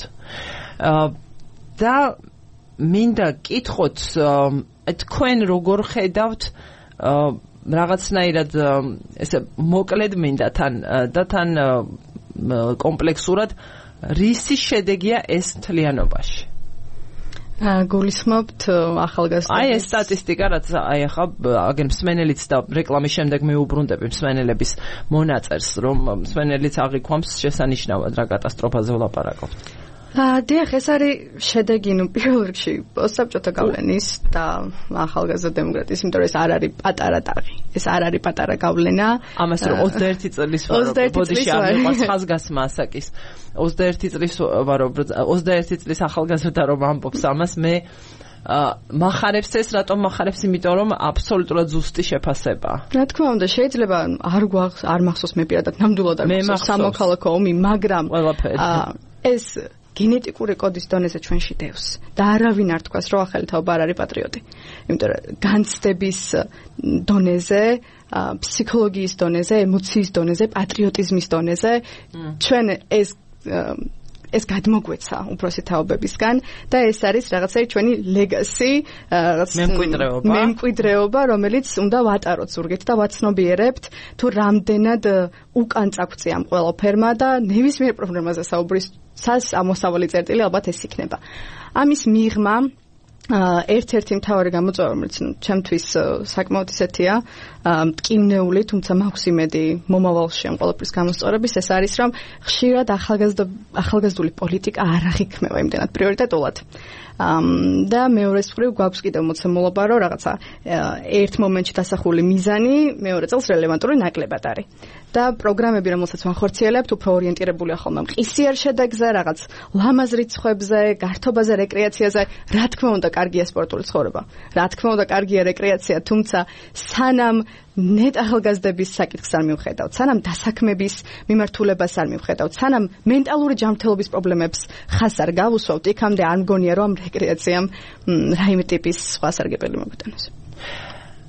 და მინდა კითხოთ, თქვენ როგორ ხედავთ რაღაცნაირად ესე მოკლედ მინდა თან და თან კომპლექსურად რისი შედეგია ეს მთლიანობაში? გულისხმობთ ახალგაზრდებს. აი ეს სტატისტიკა, რაც აი ახლა აგენ მსმენელიც და რეკლამის შემდეგ მეუბრუნდები მსმენელების მონაწერს, რომ მსმენელიც აღიქვამს შესანიშნავად რა კატასტროფაზე ვლაპარაკობთ. დიახ, ეს არის შედეგი, ნუ პირველ რიგში პოსტსაბჭოთა გავლენის და ახალგაზრდა დემოკრატიის, იმიტომ რომ ეს არ არის პატარა ტაღი. ეს არ არის პატარა გავლენა. ამას რომ ოცდაერთი წლის ბოდიში ამიყვარს ხაზგასმა ასაკის. ოცდაერთი წლის ვარო, ოცდაერთი წლის ახალგაზრდა რომ ამბობს ამას, მე მახარებს ეს, რატომ მახარებს? იმიტომ რომ აბსოლუტურად ზუსტი შეფასებაა. რა თქმა უნდა, შეიძლება არ გვახს, არ მახსოვს მე პირადად ნამდვილად არ მახსოვს სამოქალაქო ომი, მაგრამ ეს გენეტიკური კოდის დონეზე ჩვენში დევს და არავინ არ თქვას, რომ ახალი თაობა არ არის პატრიოტი. იმიტომ რომ განცდების დონეზე, ფსიქოლოგიის დონეზე, ემოციის დონეზე, პატრიოტიზმის დონეზე ჩვენ ეს ეს გადმოგვეცა უფროსი თაობებისგან და ეს არის რაღაცა ჩვენი ლეგასი, რაღაც მემკვიდრეობა, მემკვიდრეობა, რომელიც უნდა ვატაროთ ზურგით და ვაცნობიერებთ, თუ რამდენად უკან წაგვწია ამ ყველაფერმა და ნებისმიერ პრობლემაზე საუბრის სას ამოსავალი წერტილი ალბათ ეს იქნება. ამის მიღმა ერთ-ერთი მთავარი გამოწვევა, რომელიც ჩემთვის საკმაოდ ისეთია, მტკივნეული, თუმცა მაქვს იმედი მომავალში ამ ყველაფრის გამოსწორების, ეს არის, რომ ხშირად ახალგაზრდული პოლიტიკა არ აღიქმება იმდენად პრიორიტეტულად. და მეორეს მხრივ გვაქვს კიდევ მოცემულობა, რომ რაღაცა ერთ მომენტში დასახული მიზანი მეორე წელს რელევანტური ნაკლებად არის. და პროგრამები, რომელსაც ვახორციელებთ, უფრო ორიენტირებულია ხოლმე მყისიერ შედეგზე, რაღაც ლამაზ რიცხვებზე, გართობაზე, რეკრეაციაზე. რა თქმა უნდა, კარგია სპორტული ცხოვრება. რა თქმა უნდა, კარგია რეკრეაცია, თუმცა სანამ ნეტ ახალგაზრდების საკითხს არ მივხედავთ, სანამ დასაქმების მიმართულებას არ მივხედავთ, სანამ მენტალური ჯანმრთელობის პრობლემებს ხაზს არ გავუსვავთ, იქამდე არ მგონია, რომ რეკრეაციამ რაიმე ტიპის სხვა სარგებელი მოგვიტანოს.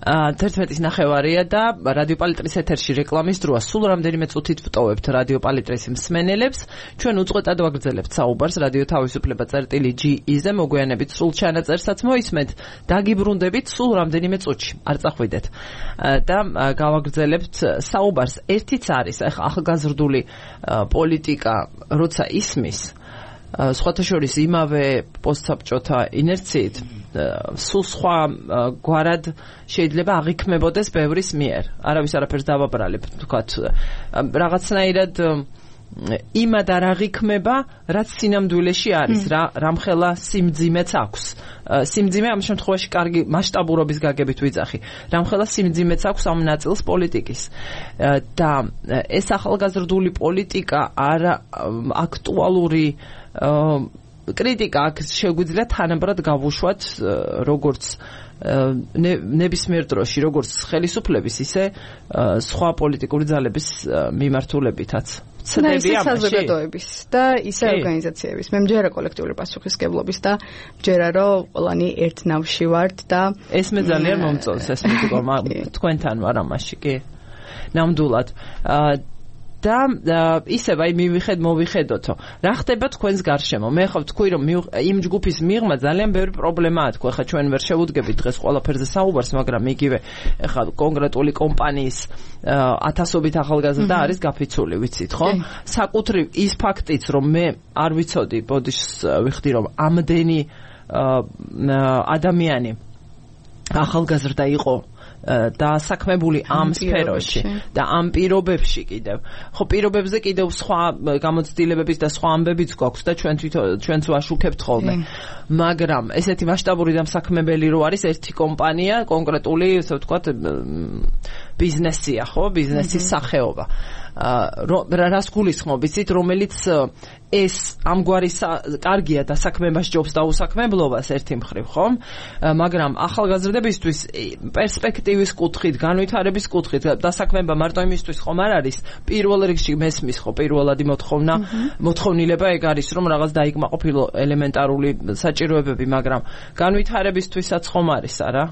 თერთმეტის ნახევარია და რადიო პალიტრის ეთერში რეკლამის დროა. სულ რამდენიმე წუთით ვტოვებთ რადიო პალიტრის მსმენელებს. ჩვენ უწყვეტად ვაგრძელებთ საუბარს რადიო თავისუფლება წერტილი ჯი ი-ზე, მოგვიანებით სულ ჩანაწერსაც მოისმენთ. დაგიბრუნდებით სულ რამდენიმე წუთში. არ წახვიდეთ. და გავაგრძელებთ საუბარს. ერთიც არის ახალგაზრდული პოლიტიკა, როცა ისმის სხვათა შორის იმავე პოსტსაბჭოთა ინერციით სულ სხვა გვარად შეიძლება აღიქმებოდეს ბევრის მიერ. არავის არაფერს დავაბრალებ, თქვათ, რაღაცნაირად იმად არ აღიქმება, რაც სინამდვილეში არის, რა რამხელა სიმძიმეც აქვს. სიმძიმე ამ შემთხვევაში კარგი მასშტაბურობის გაგებით ვიძახი. რამხელა სიმძიმეც აქვს ამ ნაწილს პოლიტიკის. და ეს ახალგაზრდული პოლიტიკა არა აქტუალური კრიტიკა აქ შეგვიძლია თანაბრად გავუშვათ როგორც ნებისმიერ დროში, როგორც ხელისუფლების, ისე სხვა პოლიტიკური ძალების მიმართულებითაც. ცდები ამაში საზოგადოების და ისე ორგანიზაციების. მე მჯერა კოლექტიური პასუხისმგებლობის და მჯერა რომ ყველანი ერთ ნავში ვართ და ეს მე ძალიან მომწონს ეს მეგობრებო, თქვენთან ვარ ამაში, კი. ნამდვილად. და ისევ აი მივიხედ მოვიხედოთო. რა ხდება თქვენს გარშემო? მე ხო ვთქვი რომ იმ ჯგუფის მიღმა ძალიან ბევრი პრობლემაა თქო. ხა ჩვენ ვერ შევუდგებით დღეს ყველაფერზე საუბარს, მაგრამ იგივე ხა კონკრეტული კომპანიის ათასობით ახალგაზრდა არის გაფიცული, ვიცით ხო? საკუთრივ ის ფაქტიც რომ მე არ ვიცოდი, ბოდიშს ვიხდი რომ ამდენი ადამიანი ახალგაზრდა იყო დასაქმებული ამ სფეროში და ამ პირობებში კიდევ. ხო, პირობებზე კიდევ სხვა გამოცდილებების და სხვა ამბებიც გვაქვს და ჩვენ თვითონ ჩვენც ვაშუქებთ ხოლმე. მაგრამ ესეთი მასშტაბური დამსაქმებელი რო არის ერთი კომპანია, კონკრეტული, ასე ვთქვათ, ბიზნესია, ხო, ბიზნესის სახეობა. რას გულისხმობ, იცით, რომელიც ეს ამგვარი კარგია დასაქმება სჯობს და უსაქმებლობას ერთი მხრივ, ხო? მაგრამ ახალგაზრდებისთვის პერსპექტივის კუთხით, განვითარების კუთხით დასაქმება მარტო იმისთვის ხომ არ არის, პირველ რიგში მესმის ხო პირველადი მოთხოვნა, მოთხოვნილება ეგ არის, რომ რაღაც დაიკმაყოფილო ელემენტარული საჭიროებები, მაგრამ განვითარებისთვისაც ხომ არის, არა?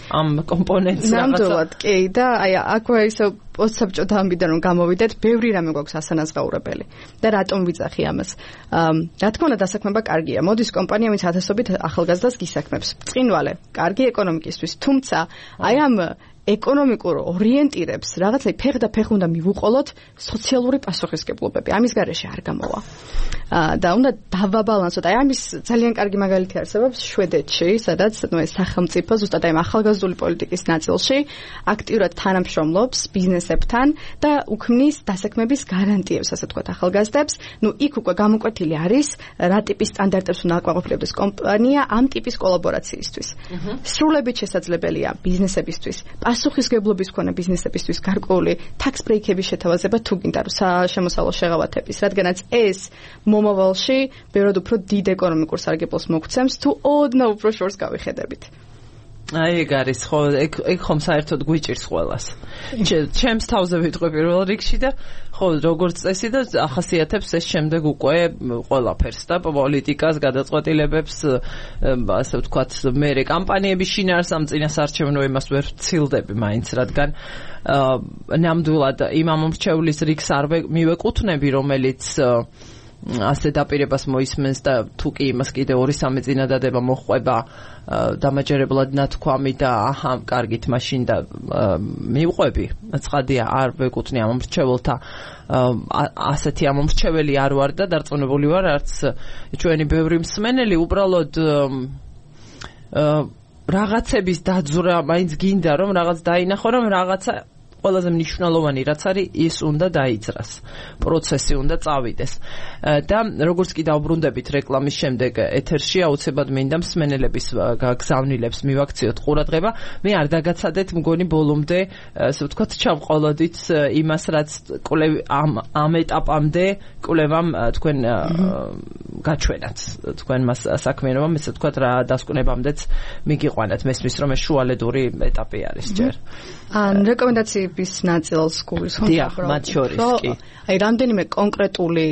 ამ კომპონენტს რაღაცა. ნამდვილად, კი, და აი აქვე ისე პოსტსაბჭოთა ამბიდან რომ გამოვიდეთ, ბევრი რამე გვაქვს ასანაზღაურებელი. და რატომ ვიძახი ამას? რა თქმა უნდა, დასაქმება კარგია. მოდის კომპანია, ვინც ათასობით ახალგაზრდას გისაქმებს. ბრწყინვალე, კარგი ეკონომიკისთვის, თუმცა აი ამ ეკონომიკურ ორიენტირებს რაღაცა ფეხ და ფეხ უნდა მივუყოლოთ სოციალური პასუხისმგებლობები. ამის გარეშე არ გამოვა. და უნდა დავაბალანსოთ. აი ამის ძალიან კარგი მაგალითი არსებობს შვედეთში, სადაც ნუ ეს სახელმწიფო ზუსტად აი ახალგაზრდული პოლიტიკის ნაწილში აქტიურად თანამშრომლობს ბიზნესებთან და უქმნის დასაქმების გარანტიებს, ასე ვთქვათ, ახალგაზრდებს. ნუ იქ უკვე გამოკვეთილი არის რა ტიპის სტანდარტებს უნდა აკმაყოფილებს კომპანია ამ ტიპის კოლაბორაციისთვის. სრულებით შესაძლებელია ბიზნესებისთვის პასუხისმგებლობის მქონე ბიზნესებისთვის გარკვეული tax break-ების შეთავაზება თუ გინდა რომ შემოსავლო შეღავათების, რადგანაც ეს მომავალში ბევრად უფრო დიდ ეკონომიკურ სარგებლოს მოგცემს თუ ოდნავ უფრო შორს გავიხედებით. აი ეგ არის ხო, ეგ ეგ ხომ საერთოდ გვიჭირს ყველას. ჩემს თავზე ვიტყვი პირველ რიგში და ხო, როგორც წესი და ახასიათებს ეს შემდეგ უკვე ყველაფერს და პოლიტიკას, გადაწყვეტილებებს, ასე ვთქვათ, მე კამპანიების შინაარს ამ წინასარჩევნო იმას ვერ ვცილდები მაინც, რადგან ნამდვილად იმ ამომრჩევლის რიგს არ მივეკუთვნები, რომელიც ასე დაპირებას მოისმენს და თუ კი იმას კიდე ორი სამი წინადადება მოხვება დამაჯერებლად ნათქვამი და აჰა, კარგით, მაშინ და მივყვები. ცხადია, არ ვეკუთვნი ამ მომრჩეველთა ასეთი ამომრჩეველი არ ვარ და დარწმუნებული ვარ, არც ჩვენი ბევრი მსმენელი უბრალოდ რაღაცების დაძვრა მაინც გინდა, რომ რაღაც დაინახო, რომ რაღაცა ყველაზე მნიშვნელოვანი რაც არის ის უნდა დაიძრას პროცესი უნდა წავიდეს და როგორც კი დავბრუნდებით რეკლამის შემდეგ ეთერში აუცილებლად მინდა მსმენელების გაგზავნილებს მივაქციოთ ყურადღება მე არ დაგაცადეთ მგონი ბოლომდე ასე ვთქვათ ჩავყოლოდით იმას რაც კვლევ ამ ამ ეტაპამდე კვლევამ თქვენ გაჩვენათ თქვენ მას საქმიანობამ ესე ვთქვათ რა დასკვნებამდეც მიგიყვანათ მესმის რომ ეს შუალედური ეტაპი არის ჯერ ან რეკომენდაციების ნაწილს გულის ხომ ხო მათ შორის კი აი რამდენიმე კონკრეტული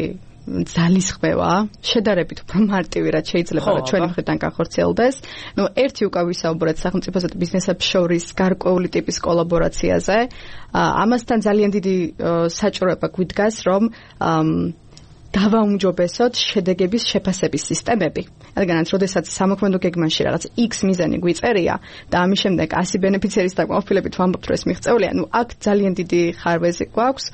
ძალისხმევა შედარებით უფრო მარტივი რაც შეიძლება რომ ჩვენი მხრიდან განხორციელდეს ნუ ერთი უკვე ვისაუბრეთ სახელმწიფოსა და ბიზნესებს შორის გარკვეული ტიპის კოლაბორაციაზე ამასთან ძალიან დიდი საჭიროება გვიდგას რომ დავაუმჯობესოთ შედეგების შეფასების სისტემები. რადგანაც როდესაც სამოქმედო გეგმაში რაღაც X მიზანი გვიწერია და ამის შემდეგ ასი ბენეფიციარის დაკმაყოფილებით ვამბობთ რომ ეს მიღწეულია, ნუ აქ ძალიან დიდი ხარვეზი გვაქვს,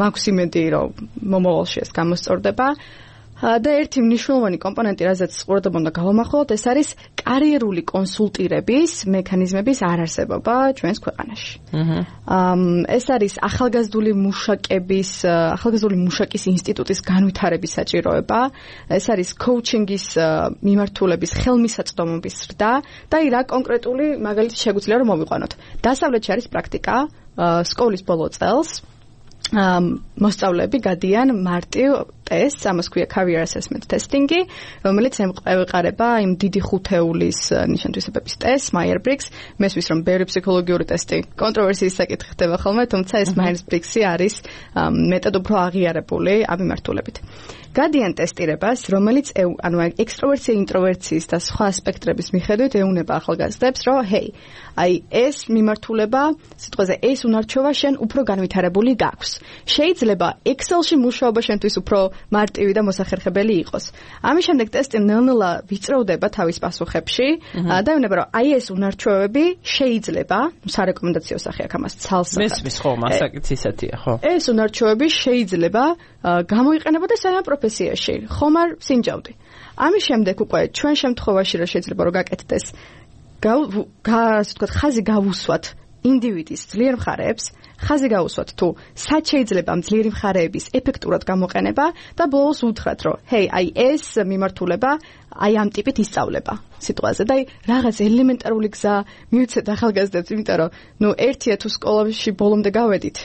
მაქვს იმედი რომ მომავალში ეს გამოსწორდება. და ერთი მნიშვნელოვანი კომპონენტი, რაზეც ყურადღება უნდა გავამახვილოთ, ეს არის კარიერული კონსულტირების მექანიზმების არარსებობა ჩვენს ქვეყანაში. ეს არის ახალგაზრდული მუშაკების, ახალგაზრდული მუშაკის ინსტიტუტის განვითარების საჭიროება, ეს არის კოუჩინგის მიმართულების ხელმისაწვდომობის ზრდა და აი რა კონკრეტული მაგალითი შეგვიძლია რომ მოვიყვანოთ. დასავლეთში არის პრაქტიკა სკოლის ბოლო წელს მოსწავლეები გადიან მარტივ ტესტს, ამას ქვია career assessment testing-ი, რომელიც ემყარება იმ დიდი ხუთეულის ნიშან-თვისებების ტესტს, Myers-Briggs, მესმის რომ ბევრი ფსიქოლოგიური ტესტი კონტროვერსიის საკითხი ხდება ხოლმე, თუმცა ეს Myers-Briggs-ი არის მეტად უფრო აღიარებული ამ მიმართულებით. გადიან ტესტირებას, რომელიც ანუ ექსტროვერცია, ინტროვერციის და სხვა ასპექტების მიხედვით ეუნება ახალგაზრდებს, რომ ჰეი, აი ეს მიმართულება, სიტყვაზე ეს უნარჩვევა შენ უფრო განვითარებული გაქვს. შეიძლება Excel-ში მუშაობა შენთვის უფრო მარტივი და მოსახერხებელი იყოს. ამის შემდეგ ტესტი ნელ-ნელა ვიწროვდება თავის პასუხებში და ეუბნება, რომ აი ეს უნარჩვევები შეიძლება, სარეკომენდაციო სახე აქ ამას ცალს. მესმის ხო, მასაკიც ისეთია, ხო. ეს უნარჩვევები შეიძლება გამოიყენებოდეს საერთო პროფესიაში, ხომ არ სინჯავდი. ამის შემდეგ უკვე ჩვენ შემთხვევაში რა შეიძლება რომ გაკეთდეს, ასე ვთქვათ, ხაზი გავუსვათ ინდივიდის ძლიერ მხარეებს, ხაზი გავუსვათ თუ სად შეიძლება ამ ძლიერი მხარეების ეფექტურად გამოყენება და ბოლოს უთხრათ, რომ ჰეი, აი ეს მიმართულება აი ამ ტიპით ისწავლება სიტყვაზე და აი რაღაც ელემენტარული გზა მივცეთ ახალგაზრდებს, იმიტომ რომ ნუ ერთია თუ სკოლაში ბოლომდე გავედით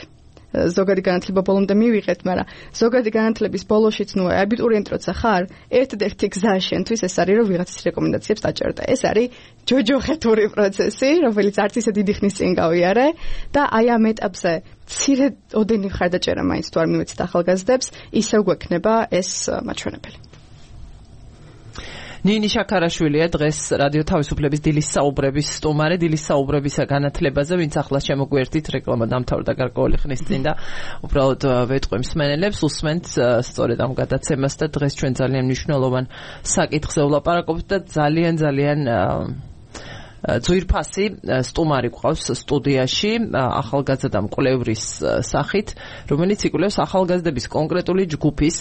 ზოგადი განათლება ბოლომდე მივიღეთ, მაგრამ ზოგადი განათლების ბოლოშიც ნუ აბიტურიენტი როცა ხარ, ერთ-ერთი გზა შენთვის ეს არის რომ ვიღაცის რეკომენდაციებს დაჭერდა. ეს არის ჯოჯოხეთური პროცესი, რომელიც არც ისე დიდი ხნის წინ გავიარე და აი ამ ეტაპზე მცირე ოდენი მხარდაჭერა მაინც თუ არ მივეცით ახალგაზრდებს, ისევ გვექნება ეს მაჩვენებელი. ნინი შაქარაშვილია დღეს რადიო თავისუფლების დილის საუბრების სტუმარი, დილის საუბრებისა განათლებაზე, ვინც ახლა შემოგვერთით რეკლამა დამთავრდა გარკვეული ხნის წინ და უბრალოდ ვეტყვი მსმენელებს, უსმენთ სწორედ ამ გადაცემას და დღეს ჩვენ ძალიან მნიშვნელოვან საკითხზე ვლაპარაკობთ და ძალიან ძალიან ძვირფასი სტუმარი გვყავს სტუდიაში ახალგაზრდა მკვლევრის სახით, რომელიც იკვლევს ახალგაზრდების კონკრეტული ჯგუფის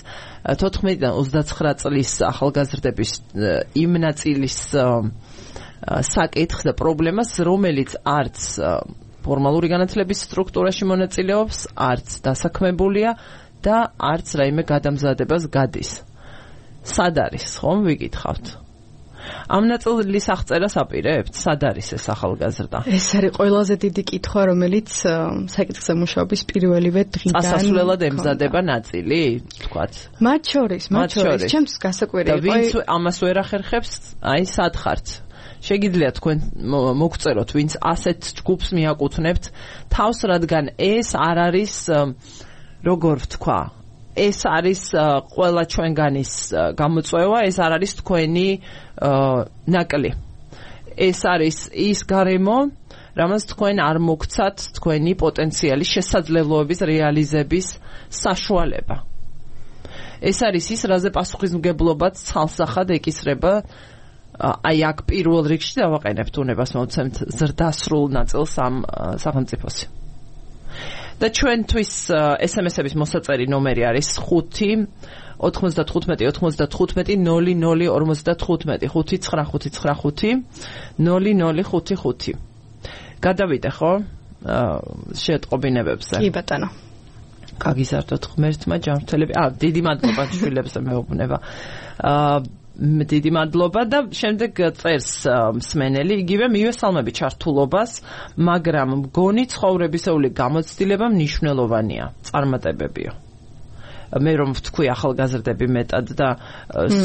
თოთხმეტიდან ოცდაცხრა წლის ახალგაზრდების იმ ნაწილის საკითხს და პრობლემას, რომელიც არც ფორმალური განათლების სტრუქტურაში მონაწილეობს, არც დასაქმებულია და არც რაიმე გადამზადებას გადის. სად არის, ხომ ვიკითხავთ? ამ ნაწილის აღწერას აპირებთ? სად არის ეს ახალგაზრდა? ეს არის ყველაზე დიდი კითხვა, რომელიც საკითხზე მუშაობის პირველივე დღიდან წასასვლელად ემზადება ნაწილი, თქვათ. მათ შორის, მათ შორის, ჩემს გასაკვირი იყო. და ვინც ამას ვერ ახერხებს, აი სად ხართ? შეგიძლიათ თქვენ მოგწეროთ, ვინც ასეთ ჯგუფს მიაკუთვნებთ თავს, რადგან ეს არ არის, როგორ ვთქვა, ეს არის ყველა ჩვენგანის გამოწვევა, ეს არ არის თქვენი ნაკლი. ეს არის ის გარემო, რამაც თქვენ არ მოგცათ თქვენი პოტენციალი შესაძლებლობების რეალიზების საშუალება. ეს არის ის, რაზე პასუხისმგებლობაც ცალსახად ეკისრება. აი აქ პირველ რიგში დავაყენებთ უნებას მოვცემთ ზრდასრულ ნაწილს ამ სახელმწიფოსი. და ჩვენთვის ეს ემ ეს-ების მოსაწერი ნომერი არის ხუთი ოთხმოცდათხუთმეტი ოთხმოცდათხუთმეტი ნული ნული ორმოცდათხუთმეტი ხუთი ცხრა ხუთი ცხრა ხუთი ნული ნული ხუთი ხუთი. გადავიდე ხო? შეტყობინებებზე. კი ბატონო. გაგიზარდოთ ღმერთმა ჯანმრთელები. აა დიდი მადლობა შვილებზე მეუბნება. აა დიდი მადლობა და შემდეგ წერს მსმენელი იგივე მივესალმები ჩართულობას, მაგრამ მგონი ცხოვრებისეული გამოცდილება მნიშვნელოვანია, წარმატებებიო. მე რომ ვთქვი ახალგაზრდები მეტად და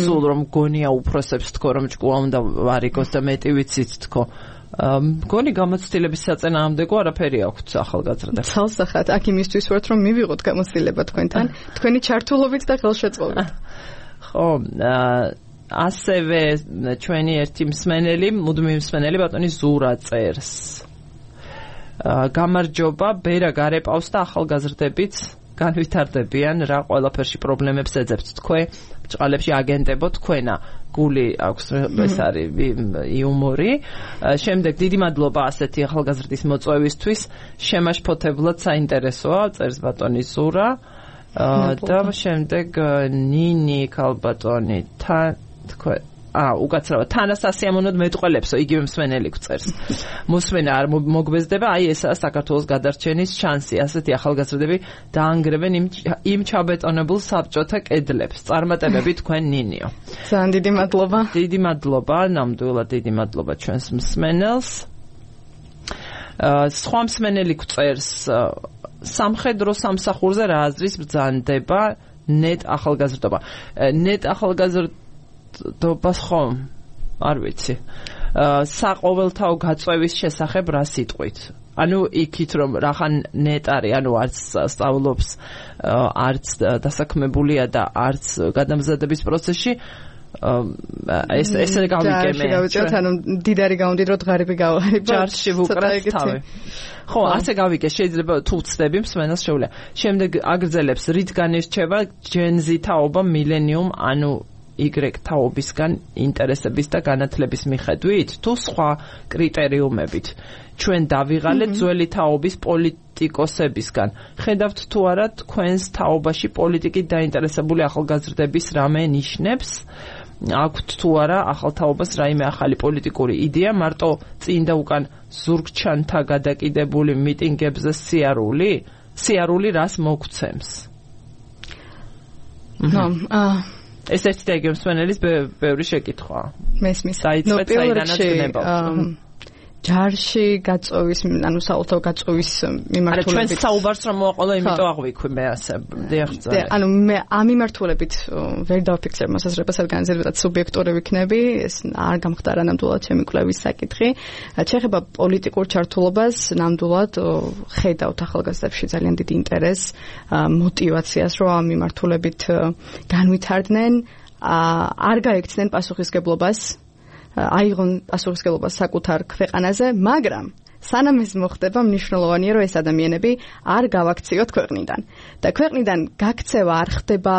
სულ რომ გონია უფროსებს თქო რომ ჭკუა უნდა ვარიგოს და მეტი ვიცით თქო. მგონი გამოცდილების საწინააღმდეგო არაფერი აქვთ ახალგაზრდებს. ცალსახად, აქ იმისთვის ვართ რომ მივიღოთ გამოცდილება თქვენთან, თქვენი ჩართულობით და ხელშეწყობით. ხო, ასევე ჩვენი ერთი მსმენელი, მუდმივი მსმენელი ბატონი ზურა წერს. გამარჯობა, ბერა გარეპავს და ახალგაზრდებიც განვითარდებიან, რა ყველაფერში პრობლემებს ეძებთ თქვენ, ბჭყალებში აგენტებო თქვენა, გული აქვს ეს არის იუმორი. შემდეგ დიდი მადლობა ასეთი ახალგაზრდის მოწვევისთვის, შემაშფოთებლად საინტერესოა, წერს ბატონი ზურა. და შემდეგ ნინი ქალბატონი თან თქვენ აა უკაცრავად თანასასიამოვნოდ მეტყველებსო იგივე მსმენელი გწერს. მოსმენა არ მოგბეზდება, აი ესაა საქართველოს გადარჩენის შანსი. ასეთი ახალგაზრდები დაანგრევენ იმ იმ ჩაბეტონებულ საბჭოთა კედლებს. წარმატებები თქვენ ნინიო. ძალიან დიდი მადლობა. დიდი მადლობა, ნამდვილად დიდი მადლობა ჩვენს მსმენელს. სხვა მსმენელი გწერს სამხედრო სამსახურზე რა აზრის ბრძანდება ნეტ ახალგაზრდობა. ნეტ ახალგაზრდობას ხომ არ ვიცი. საყოველთაო გაწვევის შესახებ რა სიტყვით? ანუ იქით რომ რახან ნეტ არის, ანუ არც სწავლობს, არც დასაქმებულია და არც გადამზადების პროცესში ეს ესე გავიგე მე. ანუ დიდარი გავდიდროთ, ღარიბი გავარიბოთ. ჯარში ვუკრათ თავი. ხო, ასე გავიგე, შეიძლება თუ ვწდები მსმენელს შეუძლია. შემდეგ აგრძელებს, რითგან ირჩევა ჯენზი თაობა მილენიუმ, ანუ Y თაობისგან ინტერესების და განათლების მიხედვით, თუ სხვა კრიტერიუმებით. ჩვენ დავიღალეთ ძველი თაობის პოლიტიკოსებისგან. ხედავთ თუ არა თქვენს თაობაში პოლიტიკით დაინტერესებული ახალგაზრდების რამე ნიშნებს? აქვთ თუ არა ახალ თაობას რაიმე ახალი პოლიტიკური იდეა, მარტო წინ და უკან ზურგჩანთა გადაკიდებული მიტინგებზე სიარული? სიარული რას მოგცემს? ნო, აა ეს ერთი და იგივე მსმენელის ბევრი შეკითხვა. მესმის. დაიწყეთ საიდანაც გნებავთ. ჯარში გაწოვის, ანუ საერთო გაწოვის მიმართულებით. არა, ჩვენ საუბარს რომ მოაყოლა, იმიტომ აღვიქვი მე ასე. დიახ. ანუ მე ამ მიმართულებით ვერ დავფიქრებ მოსაზრებას, რადგან ზედმეტად სუბიექტური ვიქნები, ეს არ გამხდარა ნამდვილად ჩემი კვლევის საკითხი. შეეხება პოლიტიკურ ჩართულობას, ნამდვილად ხედავთ ახალგაზრდებში ძალიან დიდი ინტერესს, мотиваციას, რომ ამ მიმართულებით განვითარდნენ, არ გაექცნენ პასუხისგებლობას. აიღონ პასუხისგებლობა საკუთარ ქვეყანაზე, მაგრამ სანამ ეს მოხდება, მნიშვნელოვანია, რომ ეს ადამიანები არ გავაქციოთ ქვეყნიდან. და ქვეყნიდან გაქცევა არ ხდება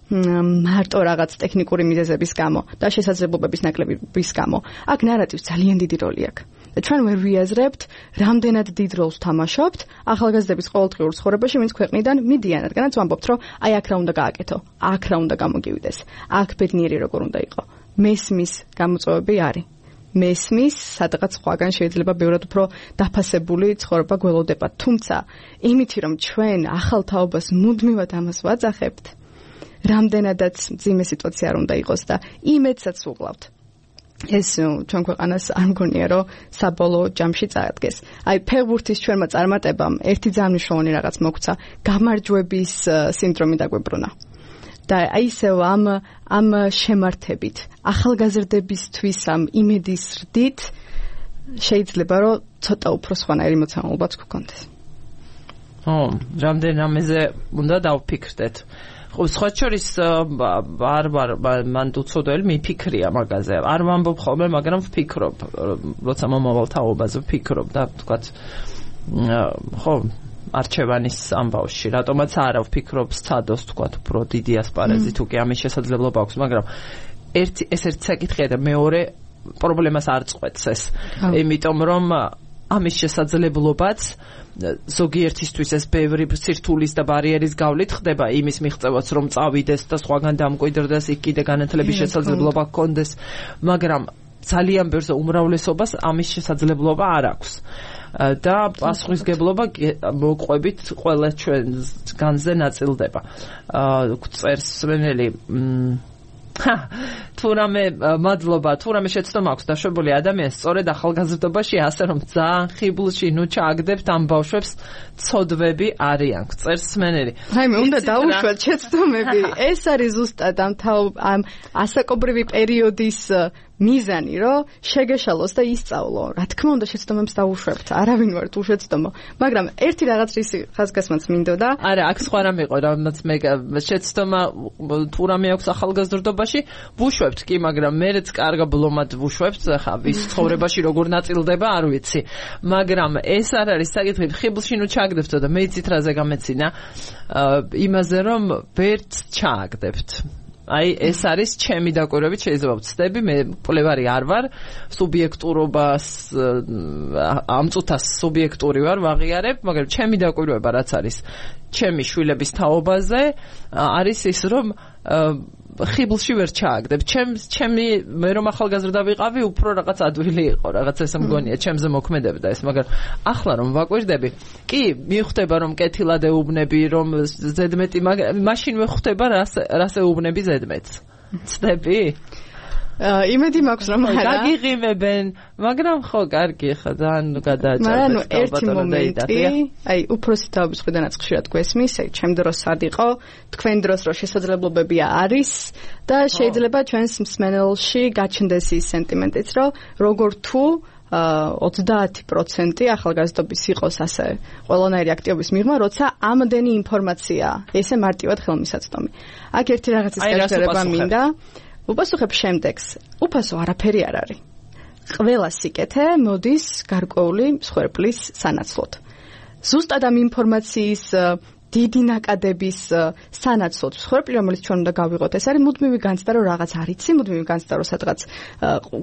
მარტო რაღაც ტექნიკური მიზეზების გამო და შესაძლებლობების ნაკლების გამო. აქ ნარატივს ძალიან დიდი როლი აქვს. და ჩვენ ვერ ვიაზრებთ, რამდენად დიდ როლს თამაშობთ ახალგაზრდების ყოველდღიურ ცხოვრებაში, ვინც ქვეყნიდან მიდიან, რადგანაც ვამბობთ, რომ აი აქ რა უნდა გააკეთო, აქ რა უნდა გამოგივიდეს, აქ ბედნიერი როგორ უნდა იყო. მესმის გამოწვევები არის. მესმის, სადღაც სხვაგან შეიძლება ბევრად უფრო დაფასებული ცხოვრება გველოდება. თუმცა, იმითი რომ ჩვენ ახალ თაობას მუდმივად ამას ვაძახებთ, რამდენადაც მძიმე სიტუაცია არ უნდა იყოს და იმედსაც ვუყლავთ. ეს ჩვენ ქვეყანას არ მგონია, რომ საბოლოო ჯამში წაადგეს. აი, ფეხბურთის ჩვენმა წარმატებამ ერთი ძალიან მნიშვნელოვანი რაღაც მოგცა, გამარჯვების სინდრომი დაგვებრუნა. და აი ისევ ამ ამ შემართებით ახალგაზრდებისთვის ამ იმედის რდით შეიძლება რომ ცოტა უფრო სხვანაირი მოცემულობაც გქონდეს. ო, რამდენამეზე უნდა დავფიქრდეთ. ხო, სხვა შორის არ ვარ მან უცოდველი მიფიქრია მაგაზე. არ ვამბობ ხოლმე, მაგრამ ვფიქრობ, როცა მომავალ თაობაზე ვფიქრობ და თქვათ ხო არჩევანის ამბავში, რატომაც არა ვფიქრობ სცადოს თქვათ უფრო დიდი ასპარეზი თუ კი ამის შესაძლებლობა აქვს, მაგრამ ერთი ეს ერთი საკითხია და მეორე პრობლემას არ წყვეტს ეს. იმიტომ რომ ამის შესაძლებლობაც ზოგიერთისთვის ეს ბევრი სირთულის და ბარიერის გავლით ხდება იმის მიღწევაც რომ წავიდეს და სხვაგან დამკვიდრდეს, იქ კიდე განათლების შესაძლებლობა ჰქონდეს, მაგრამ ძალიან ბევრს უმრავლესობას ამის შესაძლებლობა არ აქვს. და პასუხისგებლობა მოყვებით ყველა ჩვენგანზე ნაწილდება. წერს სმენელი თუ რამე მადლობა, თუ რამე შეცდომა აქვს დაშვებული ადამიანს სწორედ ახალგაზრდობაში ასე რომ ძალიან ხიბლში ნუ ჩააგდებთ ამ ბავშვებს ცოდვები არიან. წერს სმენელი. რაიმე უნდა დაუშვათ შეცდომები. ეს არის ზუსტად ამ ამ ასაკობრივი პერიოდის მიზანი, რომ შეგეშალოს და ისწავლო. რა თქმა უნდა შეცდომებს დაუშვებთ. არავინ ვართ უშეცდომო. მაგრამ ერთი რაღაც რისი ხაზგასმაც მინდოდა. არა, აქ სხვა რამე იყო, რამაც მე შეცდომა თუ რამე აქვს ახალგაზრდობაში, ვუშვებთ კი, მაგრამ მერეც კარგა ბლომად ვუშვებთ, ხა ვის ცხოვრებაში როგორ ნაწილდება, არ ვიცი. მაგრამ ეს არ არის საკითხი, ხიბლში ნუ ჩააგდებთო და მე იცით რაზე გამეცინა, იმაზე რომ ვერც ჩააგდებთ. აი ეს არის ჩემი დაკვირვებით შეიძლება ვცდები მე მკვლევარი არ ვარ სუბიექტურობას ამ წუთას სუბიექტური ვარ ვაღიარებ მაგრამ ჩემი დაკვირვება რაც არის ჩემი შვილების თაობაზე არის ის რომ ხიბლში ვერ ჩააგდებ ჩემს ჩემი მე რომ ახალგაზრდა ვიყავი უფრო რაღაც ადვილი იყო რაღაც ესე მგონია ჩემზე მოქმედებდა ეს მაგრამ ახლა რომ ვაკვირდები კი მივხვდება რომ კეთილად ეუბნები რომ ზედმეტი მაშინ ვხვდება რას რას ეუბნები ზედმეტს ცდები იმედი მაქვს რომ არა გაგიღიმებენ მაგრამ ხო კარგი ხა ძალიან გადააჭარბეთ მაგრამ ერთი მომენტი აი უფროსი თაობის ხვიდანაც ხშირად გვესმის აი ჩემ დროს არ იყო თქვენ დროს რო შესაძლებლობები არის და შეიძლება ჩვენს მსმენელში გაჩნდეს ის სენტიმენტიც რომ როგორ თუ ოცდაათი პროცენტი ახალგაზრდობის იყოს ასე ყველანაირი აქტივობის მიღმა როცა ამდენი ინფორმაცია ესე მარტივად ხელმისაწვდომი აქ ერთი რაღაცის გაჩერება მინდა უპასუხებ შემდეგს. უფასო არაფერი არ არის. ყველა სიკეთე მოდის გარკვეული მსხვერპლის სანაცვლოდ. ზუსტად ამ ინფორმაციის დიდი ნაკადების სანაცვლოდ მსხვერპლი, რომელიც ჩვენ უნდა გავიღოთ, ეს არის მუდმივი განცდა, რომ რაღაც არიცი, მუდმივი განცდა, რომ სადღაც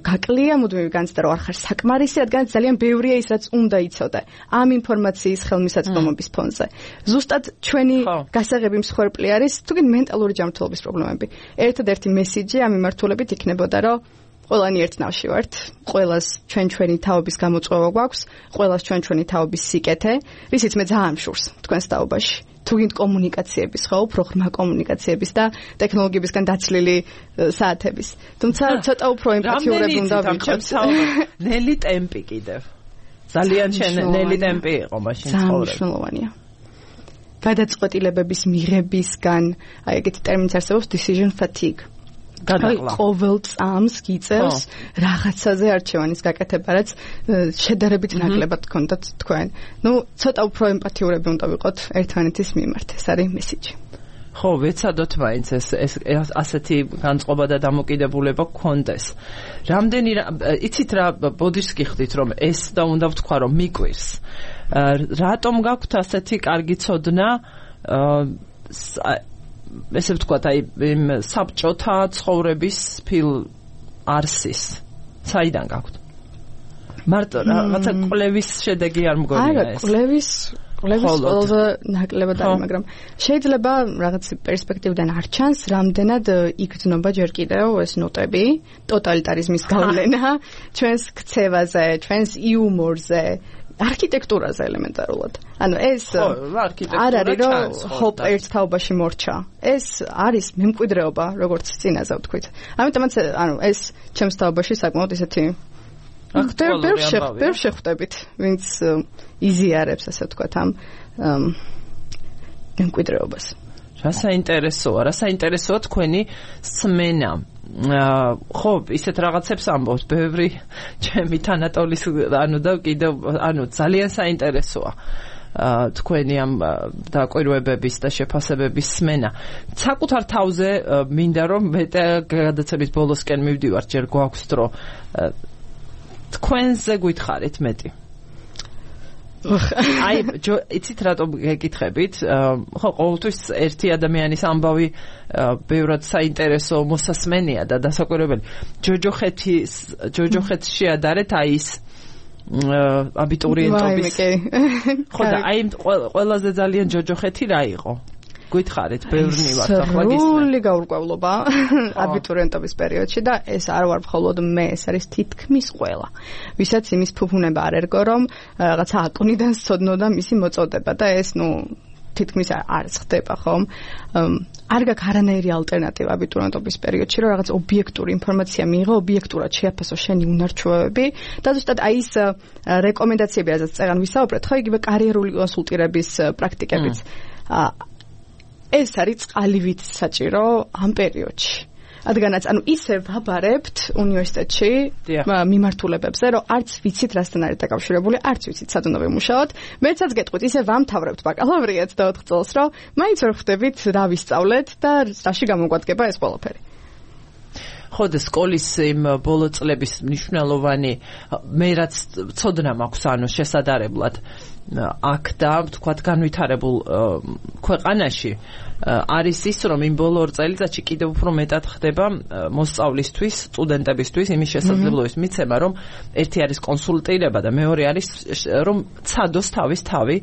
გაკლია, მუდმივი განცდა, რომ არ ხარ საკმარისი, რადგან ძალიან ბევრია ის, რაც უნდა იცოდე ამ ინფორმაციის ხელმისაწვდომობის ფონზე. ზუსტად ჩვენი გასაღები მსხვერპლი არის თუნდაც მენტალური ჯანმრთელობის პრობლემები. ერთადერთი მესიჯი ამ მიმართულებით იქნებოდა, რომ ყველანი ერთნავში ვართ, ყველას ჩვენ ჩვენი თაობის გამოწვევა გვაქვს, ყველას ჩვენ ჩვენი თაობის სიკეთე, რისიც მე ძალიან მშურს თქვენს თაობაში. თუ გინდ კომუნიკაციების, ხო, უფრო ღრმა კომუნიკაციების და ტექნოლოგიებისგან დაცლილი საათების. თუმცა ცოტა უფრო ემპათიურები უნდა ვიყოთ. ნელი ტემპი კიდევ. ძალიან ნელი ტემპი იყო მაშინ ცხოვრება. ძალიან მნიშვნელოვანია. გადაწყვეტილებების მიღებისგან, აი ეგეთი ტერმინიც არსებობს decision fatigue. გადაყლა. ყოველ წამს გიწევს რაღაცაზე არჩევანის გაკეთება, რაც შედარებით ნაკლებად გქონდათ თქვენ. ნუ ცოტა უფრო ემპათიურები უნდა ვიყოთ ერთმანეთის მიმართ. ეს არის მესიჯი. ხო, ვეცადოთ მაინც ეს ეს ასეთი განწყობა და დამოკიდებულება გქონდეს. რამდენი იცით რა ბოდიშს გიხდით რომ ეს და უნდა ვთქვა რომ მიკვირს. რატომ გაქვთ ასეთი კარგი ცოდნა ესე ვთქვათ, აი იმ საბჭოთა ცხოვრების ფილ არსის. საიდან გაქვთ? მარტო რაღაცა კვლევის შედეგი არ მგონია ეს. არა, კვლევის კვლევის ყველაზე ნაკლებად არის, მაგრამ შეიძლება რაღაც პერსპექტივიდან არ ჩანს, რამდენად იგრძნობა ჯერ კიდევ ეს ნოტები, ტოტალიტარიზმის გავლენა ჩვენს ქცევაზე, ჩვენს იუმორზე. არქიტექტურაზე ელემენტარულად. ანუ ეს არ არის რომ ჰოპ ერთ თაობაში მორჩა. ეს არის მემკვიდრეობა, როგორც წინაზე ვთქვით. ამიტომაც ანუ ეს ჩემს თაობაში საკმაოდ ისეთი ბევრ შეხვდებით, ვინც იზიარებს, ასე ვთქვათ, ამ მემკვიდრეობას. რა საინტერესოა, რა საინტერესოა თქვენი სმენა. ხო, ისეთ რაღაცებს ამბობთ, ბევრი ჩემი თანატოლის ანუ და კიდევ ანუ ძალიან საინტერესოა თქვენი ამ დაკვირვებების და შეფასებების სმენა. საკუთარ თავზე მინდა რომ მე გადაცემის ბოლოსკენ მივდივარ, ჯერ გვაქვს დრო. თქვენზე გითხარით მეტი. აი, იცით რატომ გეკითხებით? ხო, ყოველთვის ერთი ადამიანის ამბავი ბევრად საინტერესო მოსასმენია და დასაკვირვებელი. ჯოჯოხეთის ჯოჯოხეთში ადარეთ აი ის აბიტურიენტობის. ხო და აი ყველაზე ძალიან ჯოჯოხეთი რა იყო? გითხარით, ბევრი ვართ ახლა გისმენთ. სრული გაურკვევლობა აბიტურიენტობის პერიოდში და ეს არ ვარ მხოლოდ მე, ეს არის თითქმის ყველა. ვისაც იმის ფუფუნება არ ერგო, რომ რაღაცა აკვნიდან სცოდნოდა მისი მოწოდება და ეს ნუ თითქმის არ ხდება, ხომ? არ გაქვს არანაირი ალტერნატივა აბიტურიენტობის პერიოდში, რომ რაღაც ობიექტური ინფორმაცია მიიღო, ობიექტურად შეაფასო შენი უნარჩვევები და ზუსტად აი ეს რეკომენდაციები, რაზეც წეგან ვისაუბრეთ, ხო, იგივე კარიერული კონსულტირების პრაქტიკებიც. ეს არის წყალივით საჭირო ამ პერიოდში. რადგანაც ანუ ისე ვაბარებთ უნივერსიტეტში მიმართულებებზე, რომ არც ვიცით რასთან არის დაკავშირებული, არც ვიცით სად უნდა ვიმუშაოთ. მეცაც გეტყვით, ისე ვამთავრებთ ბაკალავრიატს და ოთხ წელს, რომ მაინც ვერ ხვდებით რა ვისწავლეთ და რაში გამოგვადგება ეს ყველაფერი. ხო და სკოლის იმ ბოლო წლების მნიშვნელოვანი მე რაც ცოდნა მაქვს ანუ შესაძლებლად აქ და თქვათ განვითარებულ ქვეყანაში არის ის რომ იმ ბოლო ორ წელიწადში კიდევ უფრო მეტად ხდება მოსწავლისთვის, სტუდენტებისთვის იმის შესაძლებლობის მიცემა რომ ერთი არის კონსულტირება და მეორე არის რომ ცადოს თავის თავი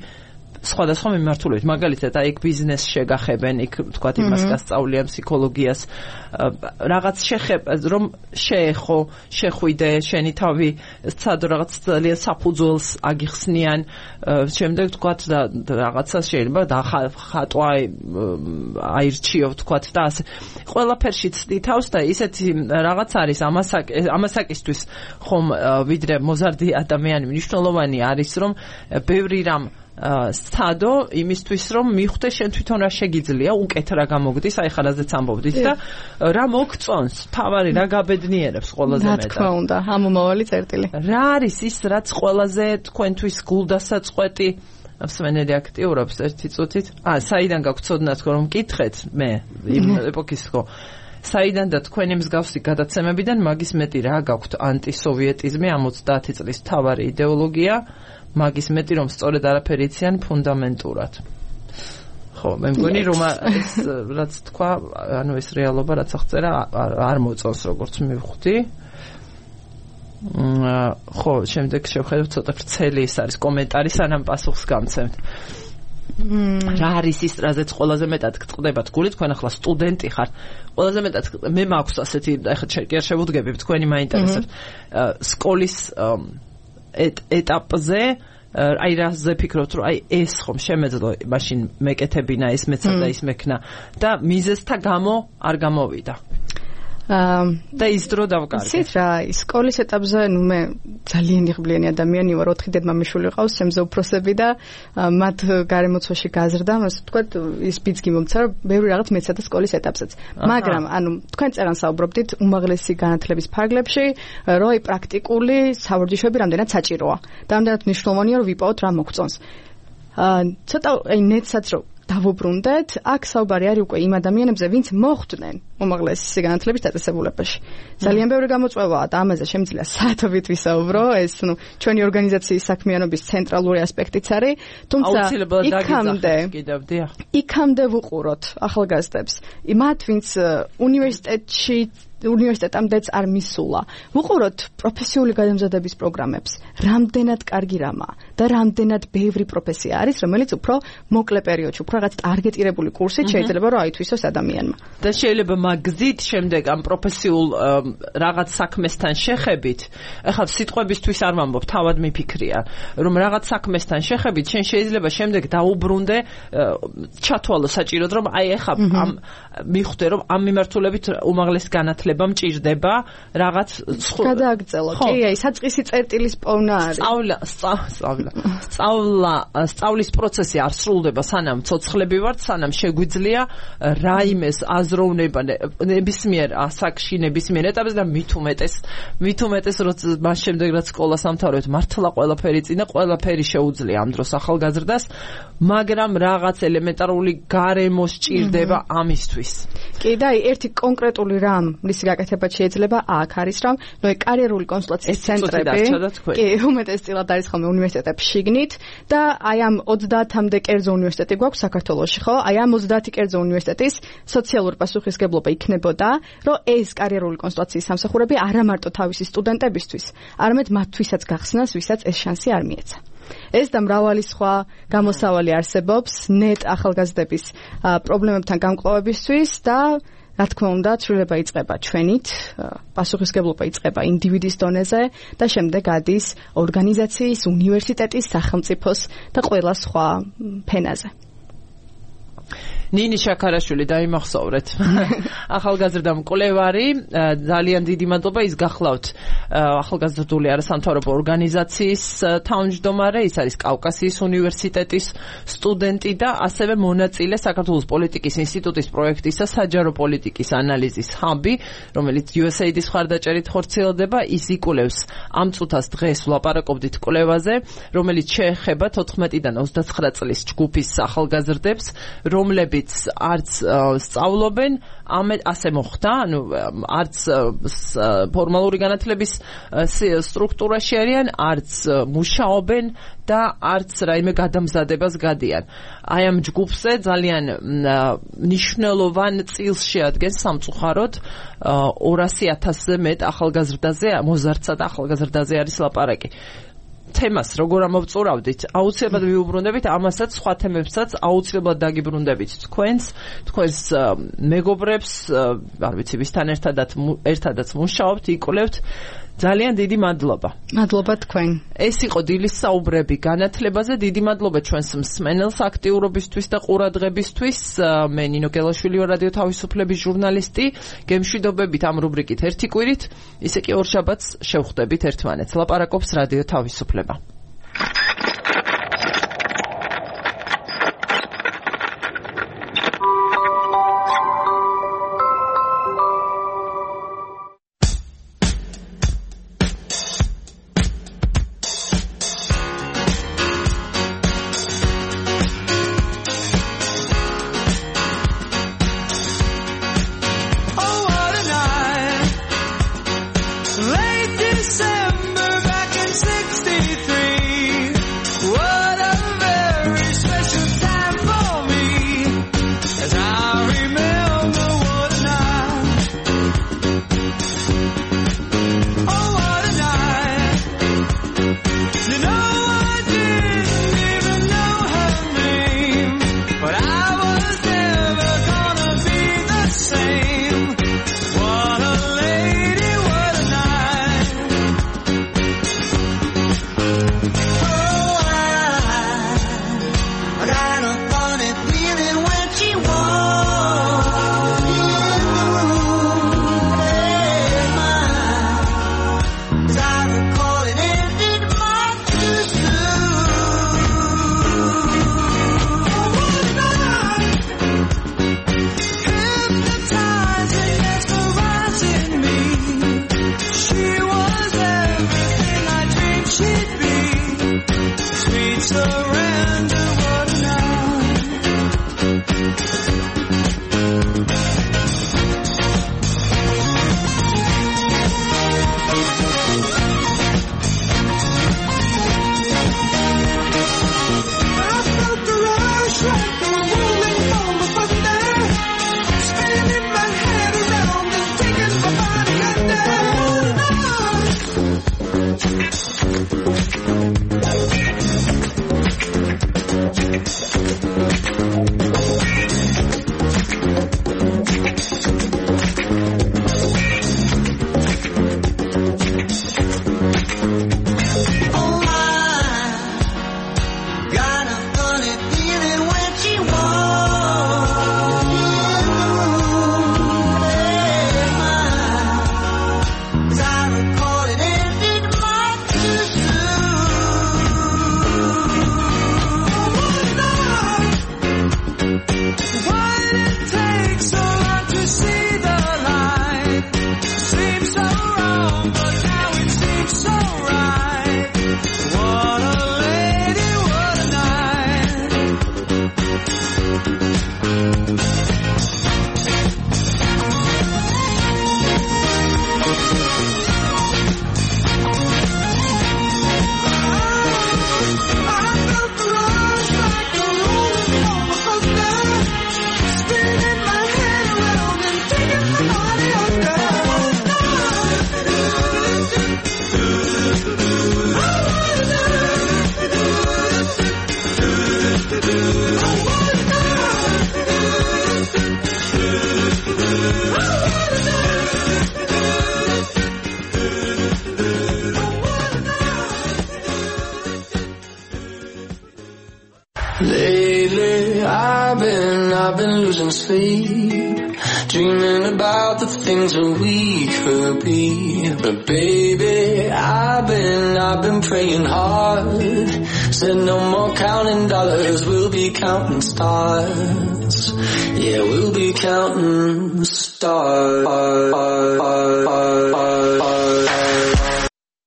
სხვადასხვა მიმართულებით. მაგალითად, აი ბიზნეს შეგახებენ, იქ თქვათ იმას გასწავლიან ფსიქოლოგიას, რაღაც შეხებ რომ შეეხო, შეხვიდე, შენი თავი ცადო რაღაც ძალიან საფუძველს აგიხსნიან, შემდეგ თქვათ და რაღაცა შეიძლება დახატვა აირჩიო თქვათ და ასე. ყველაფერში ცდი თავს და ისეთი რაღაც არის ამასაკისთვის ხომ ვიდრე მოზარდი ადამიანი მნიშვნელოვანი არის რომ ბევრი რამ სტადო იმისთვის რომ მიხვდე შენ თვითონ რა შეგიძლია უკეთ რა გამოგდის აი ხარაზეც ამბობდით და რა მოგწონს თავარი რა გაბედნიერებს ყველაზე მეტად რა თქმა უნდა ამომავალი წერტილი რა არის ის რაც ყველაზე თქვენთვის გულდასაწყვეტი მსმენელი აქტიურობს ერთი წუთით აა საიდან გაგწოდნათ რომ მკითხეთ მე იმ ეპოქის ხო საიდან და თქვენი მსგავსი გადაცემებიდან მაგის მეტი რა გაქვთ ანტისოვიეტიზმი ოცდაათი წლის მთავარი იდეოლოგია მაგის მეტი რომ სწორედ არაფერი იციან ფუნდამენტურად. ხო, მე მგონი რომ ეს რაც თქვა, ანუ ეს რეალობა რაც აღწერა არ მოწონს როგორც მივხვდი. ხო, შემდეგ შევხედოთ ცოტა ვრცელი ის არის კომენტარი სანამ პასუხს გამცემთ. რა არის ის რაზეც ყველაზე მეტად გწყდებათ გული თქვენ ახლა სტუდენტი ხართ ყველაზე მეტად მე მაქვს ასეთი ახლა კი არ შევუდგები თქვენი მაინტერესებს სკოლის ეტაპზე აი რაზე ფიქრობთ რომ აი ეს ხომ შემეძლო მაშინ მეკეთებინა ეს მეცა და ის მექნა და მიზეზთა გამო არ გამოვიდა და ის დრო დავკარგე. იცით რა, სკოლის ეტაპზე ნუ მე ძალიან იღბლიანი ადამიანი ვარ, ოთხი დედმამიშვილი ყავს, ჩემზე უფროსები და მათ გარემოცვაში გაზრდა, ასე ვთქვათ, ის ბიძგი მომცა, რომ ბევრი რაღაც მეცადა სკოლის ეტაპზეც. მაგრამ ანუ თქვენ წერან საუბრობდით უმაღლესი განათლების ფარგლებში, რომ აი პრაქტიკული სავარჯიშოები რამდენად საჭიროა. და რამდენად მნიშვნელოვანია რომ ვიპოვოთ რა მოგწონს. აა ცოტა აი ნეტსაც რომ დავუბრუნდეთ, აქ საუბარი არის უკვე იმ ადამიანებზე, ვინც მოხვდნენ უმაღლესი განათლების დაწესებულებაში. ძალიან ბევრი გამოწვევაა და ამაზე შემიძლია საათობით ვისაუბრო, ეს ნუ ჩვენი ორგანიზაციის საქმიანობის ცენტრალური ასპექტიც არის, თუმცა იქამდე იქამდე ვუყუროთ ახალგაზრდებს. მათ ვინც უნივერსიტეტში უნივერსიტეტამდეც არ მისულა. ვუყუროთ პროფესიული გადამზადების პროგრამებს. რამდენად კარგი რამაა და რამდენად ბევრი პროფესია არის, რომელიც უფრო მოკლე პერიოდში, უფრო რაღაც ტარგეტირებული კურსით შეიძლება რომ აითვისოს ადამიანმა. და შეიძლება მაგზით შემდეგ ამ პროფესიულ რაღაც საქმესთან შეხებით, ახლა სიტყვებისთვის არ ვამბობ, თავად მიფიქრია, რომ რაღაც საქმესთან შეხებით შენ შეიძლება შემდეგ დაუბრუნდე ჩათვალო საჭიროდ, რომ აი ახლა ამ მიხვდე რომ ამ მიმართულებით უმაღლეს განათლება მჭირდება რაღაც გადააგრძელო. კი, აი საწყისი წერტილის პოვნა არის. სწავლა, სწავლა. სწავლა, სწავლის პროცესი არ სრულდება სანამ ცოცხლები ვართ, სანამ შეგვიძლია რაიმეს აზროვნება ნებისმიერ ასაკში, ნებისმიერ ეტაპზე და მით უმეტეს, მით უმეტეს როცა მას შემდეგ რაც სკოლას ამთავრებთ, მართლა ყველაფერი წინა, ყველაფერი შეუძლია ამ დროს ახალგაზრდას, მაგრამ რაღაც ელემენტარული გარემო სჭირდება ამისთვის. კი, და აი ერთი კონკრეტული რამ მისი გაკეთება შეიძლება აქ არის რომ ნუ კარიერული კონსულტაციის ცენტრები კი უმეტესწილად არის ხოლმე უნივერსიტეტებში შიგნით და აი ამ ოცდაათამდე კერძო უნივერსიტეტი გვაქვს საქართველოში ხო აი ამ ოცდაათი კერძო უნივერსიტეტის სოციალური პასუხისმგებლობა იქნებოდა რომ ეს კარიერული კონსულტაციის სამსახურები არა მარტო თავისი სტუდენტებისთვის არამედ მათთვისაც გახსნას ვისაც ეს შანსი არ მიეცა ეს და მრავალი სხვა გამოსავალი არსებობს ნეტ ახალგაზრდების პრობლემებთან გამკლავებისთვის და რა თქმა უნდა, ცვლილება იწყება ჩვენით, პასუხისმგებლობა იწყება ინდივიდის დონეზე და შემდეგ ადის ორგანიზაციის, უნივერსიტეტის, სახელმწიფოს და ყველა სხვა ფენაზე. ნინი შაქარაშვილი დაიმახსოვრეთ. ახალგაზრდა მკვლევარი, ძალიან დიდი მადლობა, ის გახლავთ ახალგაზრდული არასამთავრობო ორგანიზაციის თავმჯდომარე, ის არის კავკასიის უნივერსიტეტის სტუდენტი და ასევე მონაწილე საქართველოს პოლიტიკის ინსტიტუტის პროექტისა საჯარო პოლიტიკის ანალიზის ჰაბი, რომელიც იუ ეს ეი დის მხარდაჭერით ხორციელდება. ის იკვლევს ამ წუთას დღეს ვლაპარაკობდით კვლევაზე, რომელიც შეეხება თოთხმეტიდან ოცდაცხრა წლის ჯგუფის ახალგაზრდებს, რომლებიც არც სწავლობენ, ასე მოხდა, ანუ არც ფორმალური განათლების სტრუქტურაში არიან, არც მუშაობენ და არც რაიმე გადამზადებას გადიან. აი ამ ჯგუფზე ძალიან მნიშვნელოვან წილს შეადგენს სამწუხაროდ ორასი ათასზე მეტ ახალგაზრდაზე, მოზარდსა და ახალგაზრდაზე არის ლაპარაკი. თემას როგორ ამოვწურავდით, აუცილებლად ვიუბრუნდებით ამასაც, სხვა თემებსაც აუცილებლად დაგიბრუნდებით თქვენს, თქვენს მეგობრებს, არ ვიცი, ვისთან ერთადაც ერთადაც მუშაობთ, იკვლევთ. ძალიან დიდი მადლობა. მადლობა თქვენ. ეს იყო დილის საუბრები განათლებაზე. დიდი მადლობა ჩვენს მსმენელს აქტიურობისთვის და ყურადღებისთვის. მე ნინო გელაშვილი ვარ, რადიო თავისუფლების ჟურნალისტი. გემშვიდობებით ამ რუბრიკით ერთი კვირით, ისე კი ორ შაბათს შევხვდებით ერთმანეთს. ლაპარაკობს რადიო თავისუფლება. Late December back in sixty-three I've been, I've been losing sleep, dreaming about the things that we could be. But baby, I've been, I've been praying hard. Said no more counting dollars, we'll be counting stars. Yeah, we'll be counting stars.